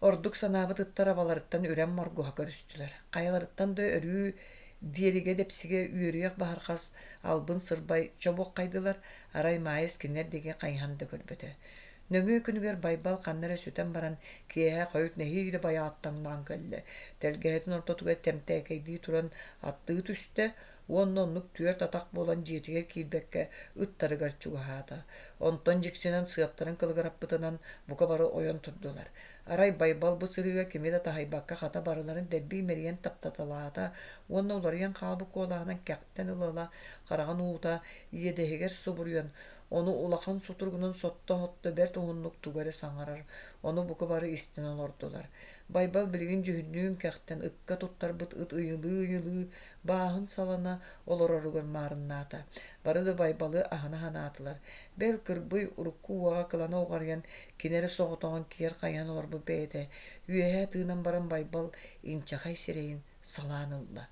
Ордук санаабыт ыттар абаларыттан үрэн моргуһа көрүстүлэр. Хайаларыттан да өрүү диэригэ-дэпсигэ үөрүйэх баһырҕас албын сырбай чобуоххайдылар, арай Маайыс кинилэр диэки хайыһан да көрбөтө. Нөҥүө күнүгэр Байбал ханна эрэ сүтэн баран, киэһэ хойут нэһиилэ байааттаҥнаан кэллэ. Тэлгэһэтин ортотугар тэмтээкэйдии туран аттыы түстэ уонна оннук түөрт атах буолан дьиэтигэр киирбэккэ ыттарыгар чугаһаата. Онтон дьиксинэн сыаптарын кылыгыраппытынан бука бары ойон турдулар. Арай Байбал бу сырыыга кими да таһыйбакка хата барыларын дэлби имэрийэн таптаталаата уонна уларыйан хаалбыт куолаһынан кэхтэн ыла-ыла хараҕын уута иэдэһигэр субуруйан, ону улахан сутуругунан сотто-сотто бэрт уһуннук тугу эрэ саҥарар, ону бука бары истэн олордулар. Байбал билигин дьүһүннүүн кэхтэн ыкка туттарбыт ыт ыйылыы-ыйылыы бааһын салана олороругар маарыннаата. Бары да Байбалы аһына санаатылар. Бэл Кырбый урукку уоҕа кылана уҕарыйан, кини эрэ соҕотоҕун киэр хайыһан олорбут бэйэтэ, үөһэ тыынан баран Байбал инчэҕэй сирэйин салаан ылла.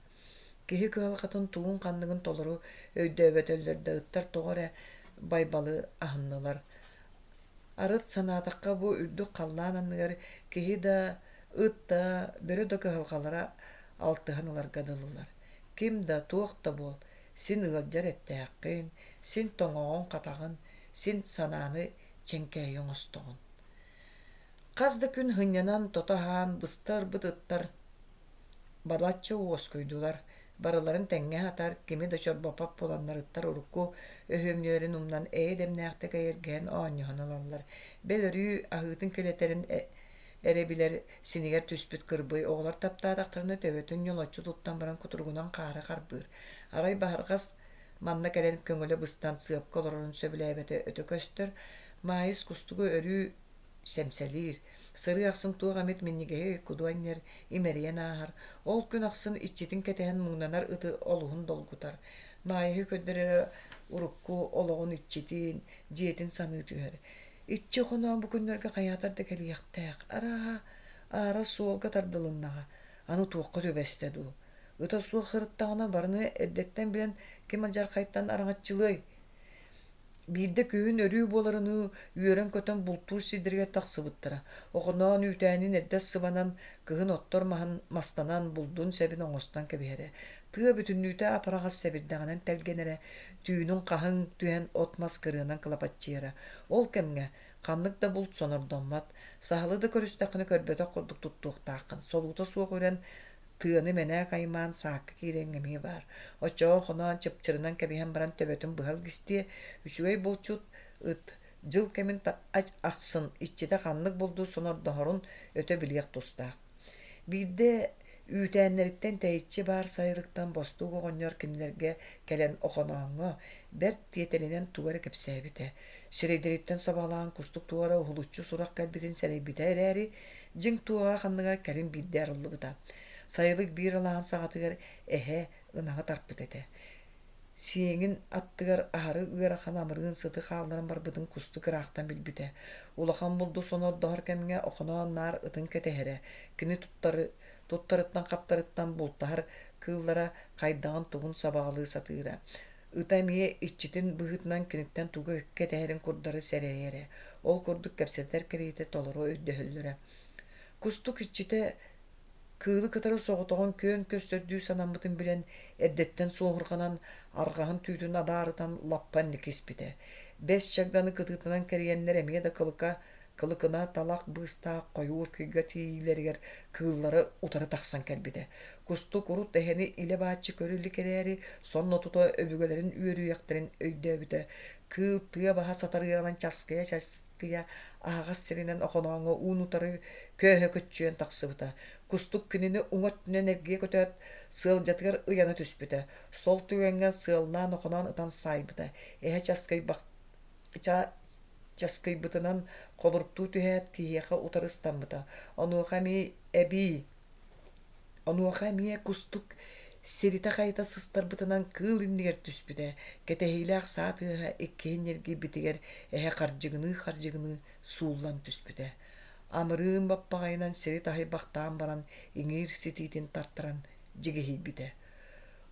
Киһи кыһалҕатын тугун-ханныгын толору өйдөөбөтөллөр да ыттар тоҕо эрэ Байбалы аһыннылар. Арыт санаатахха бу үрдүк халлаан анныгар киһи да, ыт да, бөрө да кыһалҕалара алтыһан ыларга дылылар. Ким да, туох да буол, син ыалдьар эттээххин, син тоҥоҕун-хатаҕын, син санааны чэҥкээйи оҥостоҕун. Хас да күн сынньанан тото аһаан быста ырбыт ыттар балачча уоскуйдулар, барыларын тэҥҥэ аһатар, кими да чорбоппот буоланнар ыттар урукку өһүөмньүлэрин умнан эйэ дэмнээхтик эйэргэһэн оонньоһон ылаллар. Бэл өрүү аһыытын килэтэрин эрэ билэр синигэр түспүт кырбый оҕолор таптаатахтарына төбөтүн ньолоччу туттан баран кутуругунан хаары харбыыр. Арай Баһырҕас манна кэлэн көҥүлэ быстан сыапка олорорун сөбүлээбэтэ өтө көстөр. Маайыс кустугу өрүү сэмсэлиир. Сырыы ахсын туох эмит минньигэһи куду анньар, имэрийэн ааһар. Ол күн ахсын иччитин кэтэһэн муҥнанар ыты олуһун долгутар. Маайыһы көрдөрөрө урукку олоҕун иччитин, дьиэтин саныы түһэр. Иччи Охоноон бу күннэргэ хайаатар да кэлиэхтээх. Арааһа, аара суолга тардылыннаҕа. Аны туохха түбэстэ дуу? Ыта суох сырыттаҕына барыны эрдэттэн билэн ким алдьархайтан араҥаччылыай? Биирдэ күһүн өрүү буоларыныы үөрэн-көтөн бултуур сирдэригэр тахсыбыттара. Охоноон үүтээнин эрдэ сыбанан, кыһын оттор маһын мастанан, булдун сэбин оҥостон кэбиһэрэ. Тыа бүтүннүүтэ апараҕас сэбирдэҕинэн тэлгэнэрэ, түүнүн хаһыҥ түһэн от-мас кырыанан кылапаччыйара. Ол кэмҥэ ханнык да булт сонордоммот, саһылы да көрүстэххинэ көрбөтөх курдук туттуохтааххын, солуута суох үрэн тыаны мэнээк аймаан саакка киирэҥ эмиэ баар. Оччоҕо хоноон чыпчырынан кэбиһэн баран төбөтүн быһа илгистиэ, үчүгэй булчут ыт дьыл кэмин ахсын иччитэ ханнык булду сонордоһорун өтө билиэх тустаах. Биирдэ үүтээннэриттэн тэйиччи баар сайылыктан бостуук оҕонньор кинилэргэ кэлэн Охонооҥҥо бэрт тиэтэлинэн тугу эрэ кэпсээбитэ. Сирэйдэриттэн сабаҕалаан кустук туох эрэ уһулуччу сурах кэлбитин сэрэйбитэ эрээри, дьиҥ туоҕа ханныга кэлин биирдэ арыллыбыта. Сайылык биир алааһын саҕатыгар эһэ ынаҕы тарпыт этэ. Сиэҥин аттыгар аһары ыарахан амырыын сыты хаалларан барбытын кустук ыраахтан билбитэ. Улахан булду сонордоһор кэмҥэ Охоноон наар ытын кэтэһэрэ, кини туттары, туттарыттан-хаптарыттан бултаһар кыыллара хайдаҕын-тугун сабаҕалыы сатыыра. Ыта эмиэ иччитин быһыытынан киниттэн тугу кэтэһэрин курдары сэрэйэрэ. Ол курдук кэпсэтэр кэриэтэ толору өйдөһөллөрө. Кустук иччитэ Кыылы кытары соҕотоҕун күөн көрсөрдүү санаммытын билэн, эрдэттэн суоһурҕанан, арҕаһын түүтүн адаарытан лаппа инники испитэ. Бэс чагданы кытыытынан кэрийэннэр эмиэ да кылыка, кылыкына талах быыстаах хойуур кыйга тиийиилэригэр кыыллары утары тахсан кэлбитэ. Кустук урут эһэни илэ-бааччы көрө илик эрээри, сонно тута өбүгэлэрин үөрүйэхтэрин өйдөөбүтэ. Кыыл тыа баһа сатарыаҕынан часкыйа-часкыйа аһаҕас сиринэн Охонооҥҥо уун-утары көөһө көччүйэн тахсыбыта. Кустук кинини уҥа өттүнэн эргийэ көтөөт, сыалдьатыгар ыйана түспүтэ. Сол түгэҥҥэ сыаллаан Охоноон ытан саайбыта. Эһэ часкыйбах часкыйбытынан холоруктуу түһээт, киһиэхэ утары ыстаммыта. Онуоха эмиэ эбии Онуоха эмиэ кустук сиритэ-хайыта сыстарбытынан кыыл иннигэр түспүтэ, кэтэһиилээх саа тыаһа иккиһин ньиргийбитигэр эһэ хардьыгыныы-хардьыгыныы сууллан түспүтэ. Амырыын баппаҕайынан сири таһыйбахтаан баран иҥиир ситиитин тартаран дьигиһийбитэ.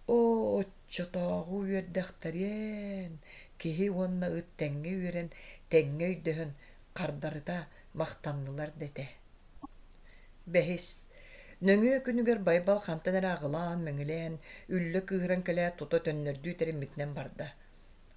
Оо, оччотооҕу үөрдэхтэриэн, киһи уонна ыт тэҥҥэ үөрэн, тэҥҥэ өйдөһөн, хардарыта махтаннылар да этэ. Бэһис, нөҥүө күнүгэр Байбал хантан эрэ аҕылаан-мэҥилээн, үллэ кыыһыран кэлээт тута төннөрдүү тэриммитинэн барда.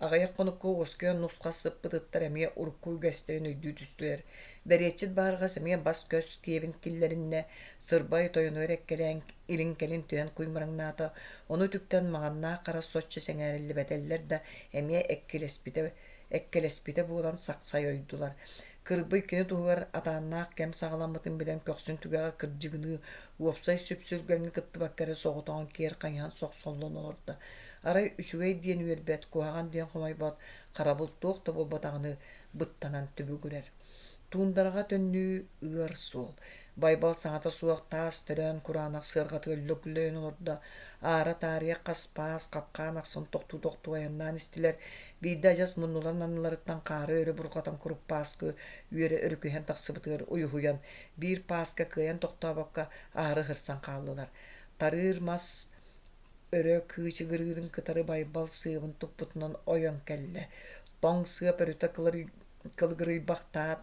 Аҕыйах хонукка уоскуйан нус-хас сыппыт ыттар эмиэ урукку үгэстэрин өйдүү түстүлэр. Бэриэтчит баарҕас эмиэ бас-көс киэбин киллэриннэ, сырбай тойонугар эккэлээн илин-кэлин түһэн куймараҥнаата, ону үтүктэн маҥаннаах хара соччо сэҥээриллибэтэллэр да эмиэ эккилэспитэ, эккэлэспитэ буолан сахсай ойдулар. Кырбый кини туһугар атааннаах кэм саҕаламмытын билэн көхсүн түгэҕэр кырдьыгыныы уопсай сүпсүлгэҥҥэ кыттыбакка эрэ соҕотоҕун киэр хайыһан сохсоллон олордо. Арай үчүгэй диэн үөрбэт, куһаҕан диэн хомойбот, харабыл туох да буолбатаҕыныы быттанан түбүгүрэр. Туундараҕа төннүү ыар суол. Байбал саҥата суох таас төрөөн кураанах сыарҕатыгар лөглөйөн олордо. Аара таарыйа хас паас хапкаан ахсын тохтуу-тохтуу айаннаан истилэр. Биирдэ адьас муннуларын анныларыттан хаары өрө бурҕатан куруппааскы үөрэ өрүкүһэн тахсыбытыгар уйуһуйан, биир пааска кыайан тохтообокко аһары сырсан хааллылар. Тарыыр мас өрө кыычыгырыырын кытары Байбал сыабын туппутунан ойон кэллэ. Тоҥ сыап өрүтэ кылыгырыйбахтаат,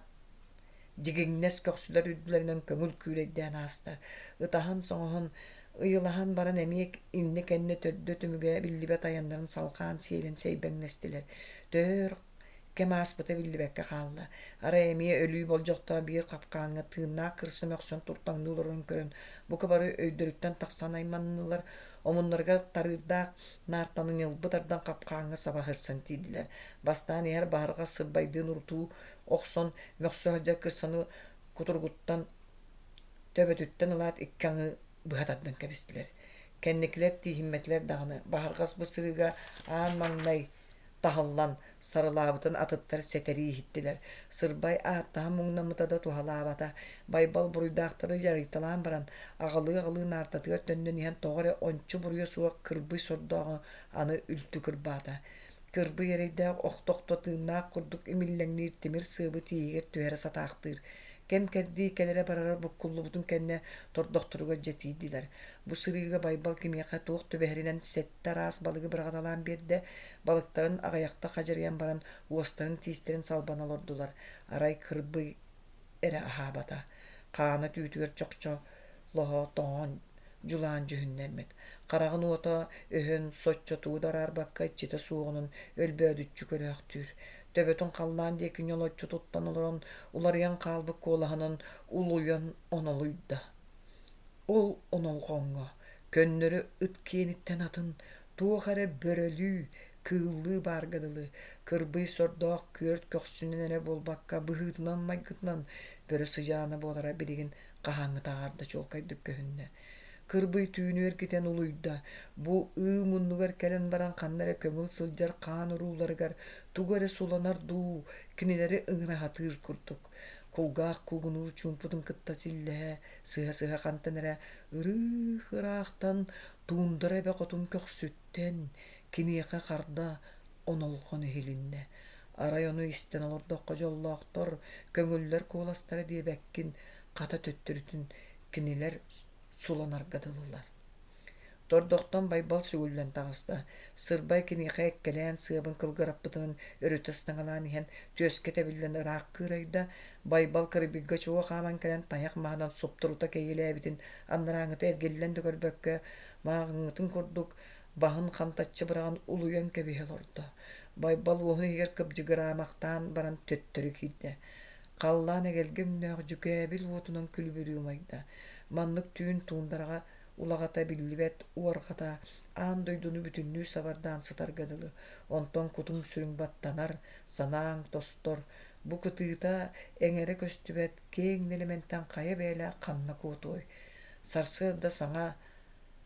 дьигиҥнэс көхсүлэр үрдүлэринэн көҥүл күүлэйдээн ааста. Ытаһан-соҥоһон, ыйылаһан баран эмиэ иннэ-кэннэ төрдө-түмүгэ биллибэт айаннарын салҕаан сиэлэн сэйбэҥнэстилэр. Төһө өр кэм ааспыта биллибэккэ хаалла. Арай эмиэ өлүү болдьохтоох биир хапкааҥҥа тыыннаах кырса мөхсөн туртаҥныы олорорун көрөн, бука бары өйдөрүттэн тахсан айманнылар, омуннарыгар тарыырдаах наартаны ньылбы тардан хапкааҥҥа саба сырсан тиийдилэр. Бастаан иһэр баһырҕас сырбайдыын урутуу охсон, мөхсө сылдьар кырсаны кутуругуттан Төбөтүттэн ылаат икки аҥыы быһа тардан кэбистилэр. Кэнникилэр тииһиммэтилэр даҕаны, Баһырҕас бу сырыыга аан маҥнай таһыллан, сарылаабытын атыттар сэтэрии иһиттилэр. Сырбай ааттаһан муҥнаммыта да туһалаабата. Байбал буруйдаахтары дьарыйталаан баран, аҕалыы-аҕалыы наартатыгар төннөн иһэн тоҕо эрэ ончу буруйа суох кырбый сордооҕу аны үлтү кырбаата. Кырбый эрэйдээх охто-охто тыыннаах курдук имиллэҥниир тимир сыабы тииһигэр түһэрэ сатаахтыыр. Кэм-кэрдии кэлэрэ-барара буккуллубутун кэннэ тордохторугар дьэ тиийдилэр. Бу сырыыга Байбал кимиэхэ туох түбэһэринэн сэттэ араас балыгы быраҕаталаан биэрдэ, балыктарын аҕыйахта хадьырыйан баран уостарын-тиистэрин салбана олордулар. Арай кырбый эрэ аһаабата. Хаана түүтүгэр чохчолоһо тоҥон дьулаан дьүһүннэммит. Хараҕын уота өһөн соччо тугу да араарбакка иччитэ суоҕунан өлбөөдүччү көрөөхтүүр. Төбөтүн халлаан диэки ньолоччу туттан олорон уларыйан хаалбыт куолаһынан улуйан онолуйда. Ол онолҕоҥҥо көннөрү ыт киэниттэн атын туох эрэ бөрөлүү, кыыллыы баарга дылы, кырбый сордоох күөрт көхсүнэн эрэ буолбакка быһыытынан-майгытынан бөрө сыдьаана буолара билигин хаһааҥҥытааҕар да чуолкайдык көһүннэ. Кырбый түүнү эргитэн улуйда, бу ыы муннугар кэлэн баран ханна эрэ көҥүл сылдьар хаан урууларыгар тугу эрэ суланар дуу, кинилэри ыҥыра сатыыр курдук. Кулгаах куугунуур чуумпутун кытта силлэһэ, сыһа-сыһа хантан эрэ ырыых-ыраахтан туундара эбэ хотун көхсүттэн киниэхэ харда онолҕон иһилиннэ. Арай ону истэн олордоххо дьоллоохтор, көҥүллэр куоластара диэбэккин, хата төттөрүтүн кинилэр суланарга дылылар. Тордохтон Байбал сүгүллэн таҕыста. Сырбай киниэхэ эккэлээн сыабын кылгыраппытын өрүтэ ыстаҥалаан иһэн түөскэ тэбиллэн ыраах кыырайда. Байбал кырбыйга чуо хааман кэлэн тайах маһынан суптурута кэйиэлээбитин анарааҥҥыта эргиллэн да көрбөккө, мааҕыҥҥытын курдук баһын хантаччы быраҕан улуйан кэбиһэ олордо. Байбал уоһун иһигэр кыбдьыгыраамахтаан баран төттөрү киирдэ. Халлаан эгэлгэ өҥнөөх дьүкээбил уотунан күлүбүрүү умайда. Маннык түүн туундараҕа улаҕата биллибэт уорҕата аан дойдуну бүтүннүү сабардаан сытарга дылы. Онтон кутуҥ-сүрүҥ баттанар, санааҥ тостор. Бу кытыыта эҥэрэ көстүбэт киэҥ нэлэмэнтэн хайа бэйэлээх ханна куотуой? Сарсыарда саҥа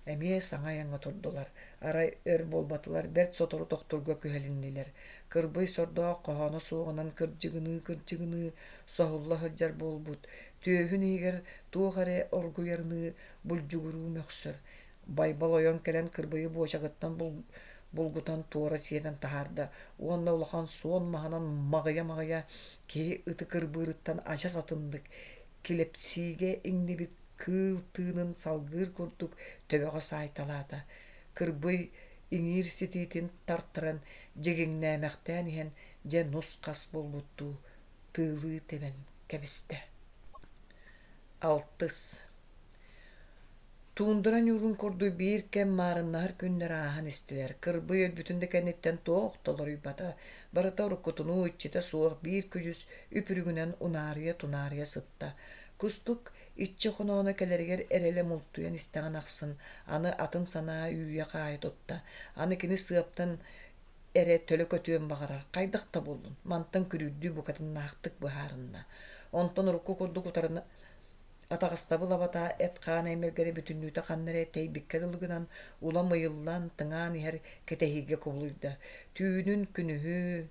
Эмиэ саҥа айаҥҥа турдулар, арай өр буолбатылар, бэрт сотору тохтуурга күһэлиннилэр. Кырбый сордоох хоһооно суоҕунан кырдьыгыныы-кырдьыгыныы соһулла сылдьар буолбут, түөһүн иһигэр туох эрэ оргуйарыныы булдьугуруу мөхсөр. Байбал ойон кэлэн кырбыйы буочагыттан булгутан туора сиэтэн таһаарда уонна улахан суон маһынан маҕыйа-маҕыйа киһи ыты кырбыырыттан адьас атыннык килэпсиигэ иҥнибит кыыл тыынын салгыыр курдук төбөҕө саайталаата. Кырбый иҥиир ситиитин тартаран дьигиҥнээмэхтээн иһэн дьэ нус-хас буолбуттуу тыылыы тэбэн кэбистэ. Алтыс Туундара ньуурун курдук биир кэм маарыннаһар күннэр ааһан истилэр. Кырбый өлбүтүн да кэнниттэн туох да уларыйбата. Барыта уруккутунуу иччитэ суох биир күдьүс үп-үрүҥүнэн унаарыйа-тунаарыйа сытта. Кустук иччи хонооно кэлэригэр эрэлэ мултуйан истэҕин ахсын аны атын санаа үүйэ-хаайа тутта. Аны кини сыаптан эрэ төлө көтүөн баҕарар, хайдах да буоллун, мантан күрүүрдүү букатыннаахтык быһаарынна. Онтон урукку курдук утарына Атаҕастабыл абата эт-хаан эймэлгэрэ бүтүннүүтэ ханна эрэ тэйбиккэ дылы гынан, улам ыйыллан, тыҥаан иһэр кэтэһиигэ кубулуйда. Түүнүн күнүһү,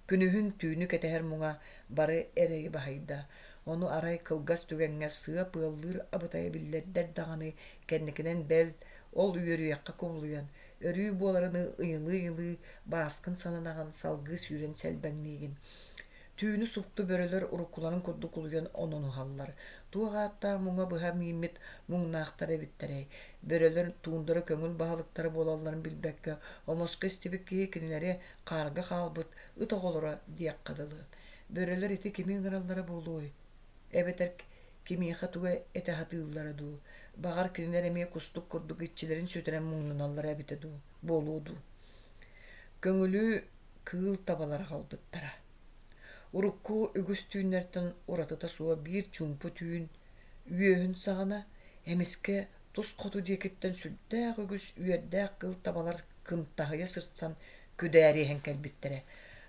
күнүһүн түүнү кэтэһэр муҥа бары эрэйи баһыйда. Ону арай кылгас түгэҥҥэ сыап ыаллыыр абытайа биллэрдэр даҕаны, кэнникинэн бэл, ол үөрүйэххэ кубулуйан, өрүү буоларыныы ыйылыы-ыйылыы бааскын сананаҕын, салгыы сүүрэн сэлбэҥниигин. Түүнү супту бөрөлөр уруккуларын курдук улуйан ононуһаллар. Туох ааттаах муҥа быһа мииммит муҥнаахтар эбиттэрэй? Бөрөлөр туундара көҥүл баһылыктара буолалларын билбэккэ, омоско истибит киһи кинилэри хаарга хаалбыт ыт оҕолоро диэххэ дылы. Бөрөлөр ити кими ыҥыраллара буолуой? Эбэтэр кимиэхэ тугу этэ сатыыллара дуу? Баҕар, кинилэр эмиэ кустук курдук иччилэрин сүтэрэн муҥнаналлара эбитэ дуу, буолуо дуу? Көҥүлү кыыл табалар аҕалбыттара. Урукку үгүс түүннэртэн уратыта суох биир чуумпу түүн үөһүн саҕана эмискэ тус хоту диэкиттэн сүрдээх үгүс үөрдээх кыыл табалар кынтаһыйа сырсан күдээриһэн кэлбиттэрэ.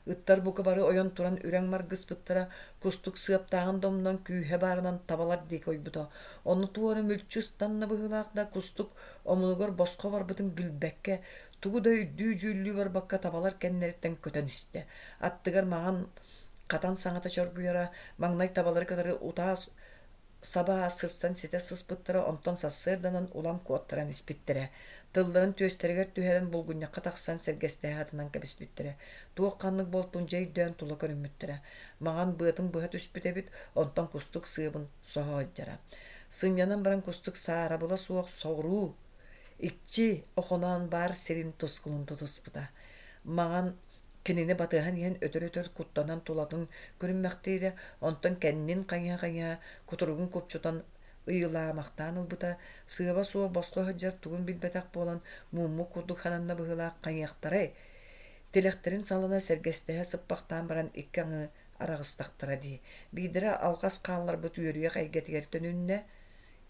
Ыттар бука бары ойон туран үрэҥ маргыспыттара, кустук сыаптааҕын да умнан күүһэ баарынан табалар диэки ойбута. Онно туора мүлчү ыстанна быһыылаах да кустук омунугар босхо барбытын билбэккэ, тугу да өйдүү-дьүүллүү барбакка табалар кэннилэриттэн көтөн истэ. Аттыгар маҥан хатан саҥата чоргуйара, маҥнай табалары кытары утаа саба сырсан ситэ сыспыттара, онтон сарсыарданан улам куоттаран испиттэрэ. Тылларын түөстэригэр түһэрэн булгунньахха тахсан сэргэстэһэ атынан кэбиспиттэрэ. Туох-ханнык буолтун дьэ өйдөөн тула көрүммүттэрэ. Маҥан быатын быһа түспүт эбит, онтон кустук сыабын соһо сылдьара. Сынньанан баран кустук саарабыла суох соҕуруу иччи Охоноон баар сирин тускулун тутуспута. Маҥан Кинини батыһан иһэн өтөр-өтөр куттанан тулатын көрүммэхтиирэ, онтон кэннин хайыһа-хайыһа кутуругун купчутан ыйылаамахтаан ылбыта, сыаба суох босхо сылдьар тугун билбэтэх буолан мууммут курдук сананна быһыылаах хайыахтарай, тилэхтэрин салана сэргэстэһэ сыппахтаан баран икки аҥыы араҕыстахтара дии. Биирдэрэ алҕас хаалларбыт үөрүйэх эйгэтигэр төнүннэ,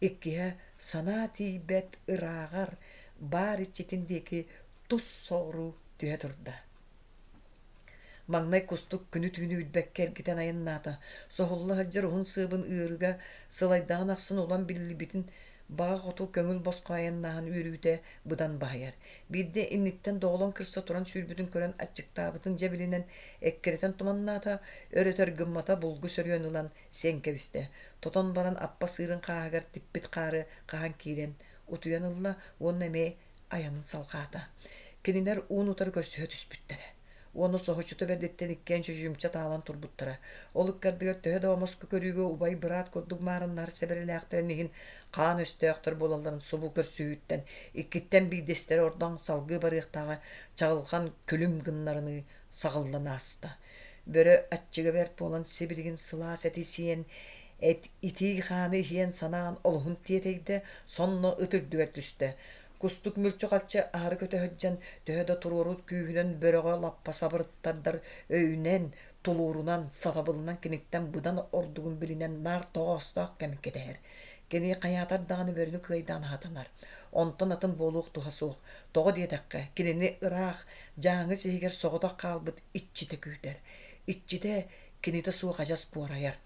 иккиһэ санаа тиийбэт ырааҕар баар иччитин диэки тус соҕуруу түһэ турда. Маҥнай кустук күнү-түүнү билбэккэ эргитэн айаннаата. Соһулла сылдьар уһун сыабын ыарыыга сылайдаҕын ахсын улам биллибитин баҕа хоту көҥүл босхо айаннааһын үөрүүтэ быдан баһыйар. Биирдэ инниттэн доҕолоҥ кырса туран сүүрбүтүн көрөн аччыктаабытын дьэ билинэн эккирэтэн туманнаата, өр-өтөр гыммата булгу сөрүөн ылан сиэн кэбистэ. Тотон баран аппа сыырын хааһыгар типпит хаары хаһан киирэн утуйан ылла уонна эмиэ айанын салҕаата. Кинилэр уун-утары көрсүһэ түспүттэрэ. Уонна соһуччута бэрдиттэн иккиэн чочумча таалан турбуттара. Ол ыккардыгар төһө да омоску көрүүгэ убай-быраат курдук маарыннаһар сэбэрэлээхтэрин иһин хаан өстөөхтөр буолалларын субу көрсүһүүттэн иккиттэн биирдэстэрэ ордон салгыы барыахтааҕа чаҕылҕан күлүм гыннарыныы саҕыллан ааста. Бөрө аччыга бэрт буолан сибилигин сылаас эти сиэн, эт итии хааны иһиэн санаан олуһун тиэтэйдэ, сонно ыт үрдүгэр түстэ. Кустук мүлчү-халчы аһары көтө сылдьан, төһө да туруору күүһүнэн бөрөҕө лаппа сабырыттардар өйүнэн, тулуурунан, сатабылынан киниттэн быдан ордугун билинэн наар тоҕоостоох кэм кэтэһэр. Кини хайаатар даҕаны бөрөнү кыайдаан аһатанар. Онтон атын буолуох туһа суох. Тоҕо диэтэххэ, кинини ыраах, Дьааҥы сиһигэр соҕотох хаалбыт иччитэ күүтэр. Иччитэ кинитэ суох адьас буорайар.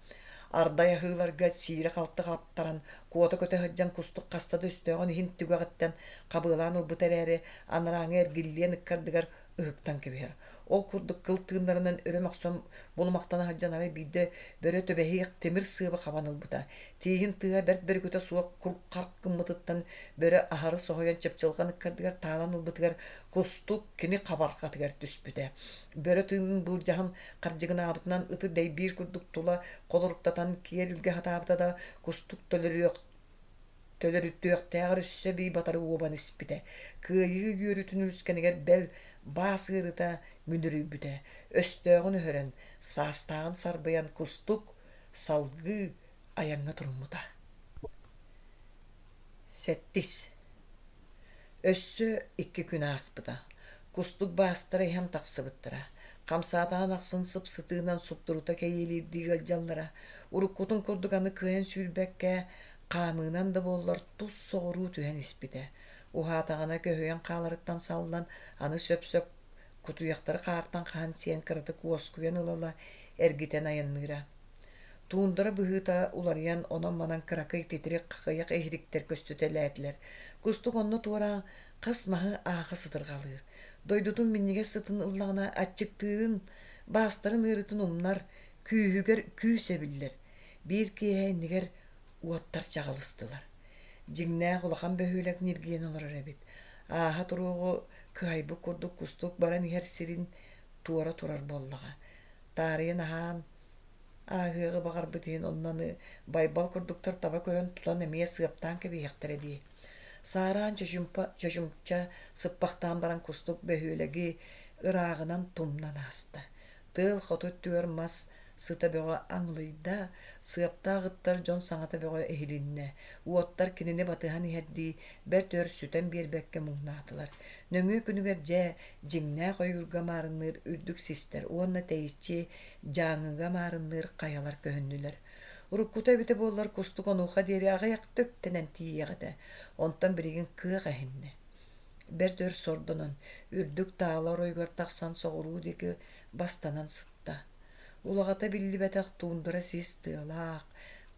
Ардай аһыыларга сиирэ-халты хаптаран, куота көтө сылдьан кустук хаста да өстөөҕүн иһин түгэҕиттэн хабыалаан ылбыта эрээри, анарааҥы эргиллиэн ыккардыгар ыһыктан кэбиһэр. Ол курдук кыл тыыннарынан өрө мөхсөн булумахтана сылдьан арай биирдэ бөрө түбэһиэх тимир сыабы хабан ылбыта. Тииһин тыаһа бэрт бөрүкүтэ суох кур-харк гыммытыттан бөрө аһары соһуйан чыпчылҕан ыккардыгар таалан ылбытыгар кустук кини хабарҕатыгар түспүтэ. Бөрө тыынын былдьаһан хардьыгынаабытынан ыты дэйбиир курдук тула холоруктатан киэр илгэ сатаабыта да кустук төлөрүөх төлөрүтүөхтээҕэр өссө эбии батары уобан испитэ. Кыайыы үөрүүтүн үлүскэнигэр бэл баас ыарыыта мүнүрүйбүтэ. Өстөөҕүн өһөрөн, саастааҕын сарбыйан кустук салгыы айаҥҥа туруммута. Сэттис. Өссө икки күн ааспыта. Кустук баастара иһэн тахсыбыттара. Хамсаатаҕын ахсын сып-сытыынан суптурута кэйиэлиирдии ыалдьаллара. Уруккутун курдук аны кыайан сүүрбэккэ, хаамыынан да буоллар тус соҕуруу түһэн испитэ. Уһаатаҕына көһүйэн хааларыттан саллан, аны сөп-сөп кутуйахтары хаартан хаһан сиэн кыратык уоскуйан ыла-ыла эргитэн айанныыра. Туундара быһыыта уларыйан онон-манан кыракый титирик хахыйах иһириктэр көстүтэлээтилэр. Кустук онно туораан хас маһы ааха сытырҕалыыр. Дойдутун минньигэс сытын ыллаҕына аччыктыырын, баастарын ыарыытын умнар, күүһүгэр күүс эбиллэр. Биир киэһэ иннигэр уоттар чаҕылыстылар. Дьиҥнээх улахан бөһүөлэк ньиргийэн олорор эбит. Ааһа туруоҕу кыһайбыт курдук кустук баран иһэр сирин туора турар буоллаҕа. Таарыйан аһаан ааһыаҕы баҕарбыт иһин онно аны Байбал курдуктар таба көрөн тутан эмиэ сыаптаан кэбиһиэхтэрэ дии. Саараан чочумпа чочумча сыппахтаан баран кустук бөһүөлэги ырааҕынан тумнан ааста. Тыал хоту өттүгэр мас сыта бөҕө аҥылыйда, сыаптаах ыттар дьон саҥата бөҕө иһилиннэ, уоттар кинини батыһан иһэрдии бэрт өр сүтэн биэрбэккэ муҥнаатылар. Нөҥүө күнүгэр дьэ, дьиҥнээх ойуурга маарынныыр үрдүк систэр уонна тэйиччи Дьааҥыга маарынныыр хайалар көһүннүлэр. Уруккута эбитэ буоллар кустук онуоха диэри аҕыйахта үктэнэн тиийиэх этэ, онтон билигин кыах эһиннэ. Бэрт өр сордонон, үрдүк таала оройугар тахсан соҕуруу диэки бастанан сытта. Улаҕата биллибэтэх туундара сис тыалаах,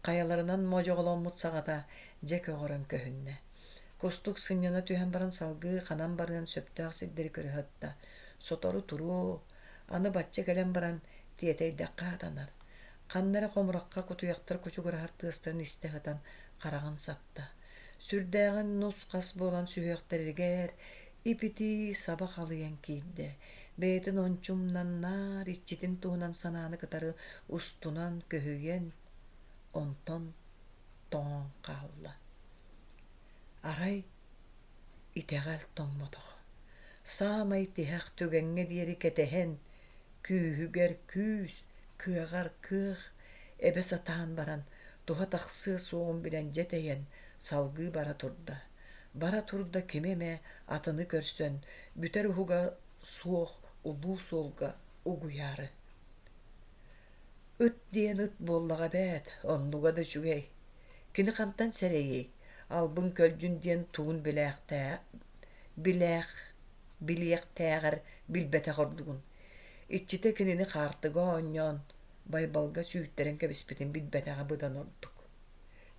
хайаларынан модьоҕоломмут саҕата дьэ көҕөрөн көһүннэ. Кустук сынньана түһэн баран салгыы ханан барыан сөптөөх сирдэри көрө сытта. Сотору туруо, аны бачча кэлэн баран тиэтэйдэххэ сатанар. Ханна эрэ хомурахха кутуйахтар кучугураһар тыастарын истэ сытан хараҕын сапта. Сүрдээҕин нус-хас буолан сүһүөхтэригэр ип-итии саба халыйан киирдэ. Бэйэтин ончу умнан наар иччитин туһунан санааны кытары устунан көһүйэн, онтон тоҥон хаалла. Арай итэҕэл тоҥмотоҕо. Саамай тиһэх түгэҥҥэ диэри кэтэһэн, күүһүгэр күүс, кыаҕар кыах эбэ сатаан баран, туһа тахсыа суоҕун билэн дьэ тэйэн, салгыы бара турда. Бара турда кими эмэ атыны көрсөн, бүтэр уһуга суох улуу суолга угуйаары. Ыт диэн ыт буоллаҕа эбээт, оннуга да үчүгэй. Кини хантан сэрэйиэй, албын-көлдьүн диэн тугун билээх билиэхтээҕэр билбэтэх ордугун. Иччитэ кинини хаартыга оонньоон, Байбалга сүүттэрэн кэбиспитин билбэтэҕэ быдан ордук.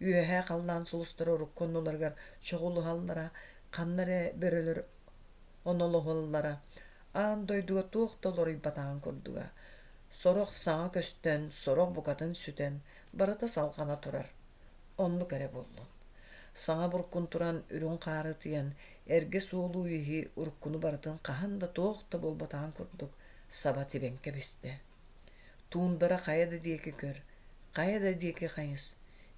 Үөһээ халлаан сулустара урукку оннуларыгар чоҕулуһаллара, ханна эрэ бөрөлөр онолоһоллоро, аан дойдуга туох да уларыйбатаҕын курдуга. Сорох саҥа көстөн, сорох букатын сүтэн, барыта салҕана турар. Оннук эрэ буоллун. Саҥа буркун туран, үрүҥ хаары ытыйан, эргэ суолу иһи уруккуну барытын хаһан да туох да буолбатаҕын курдук саба тибэн кэбистэ. Туундара хайа да диэки көр, хайа да диэки хайыс,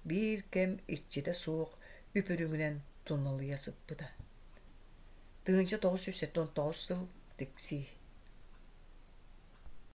биир кэм иччитэ суох үп-үрүҥүнэн туналыйа сыппыта. 1979 сыл Тиксии.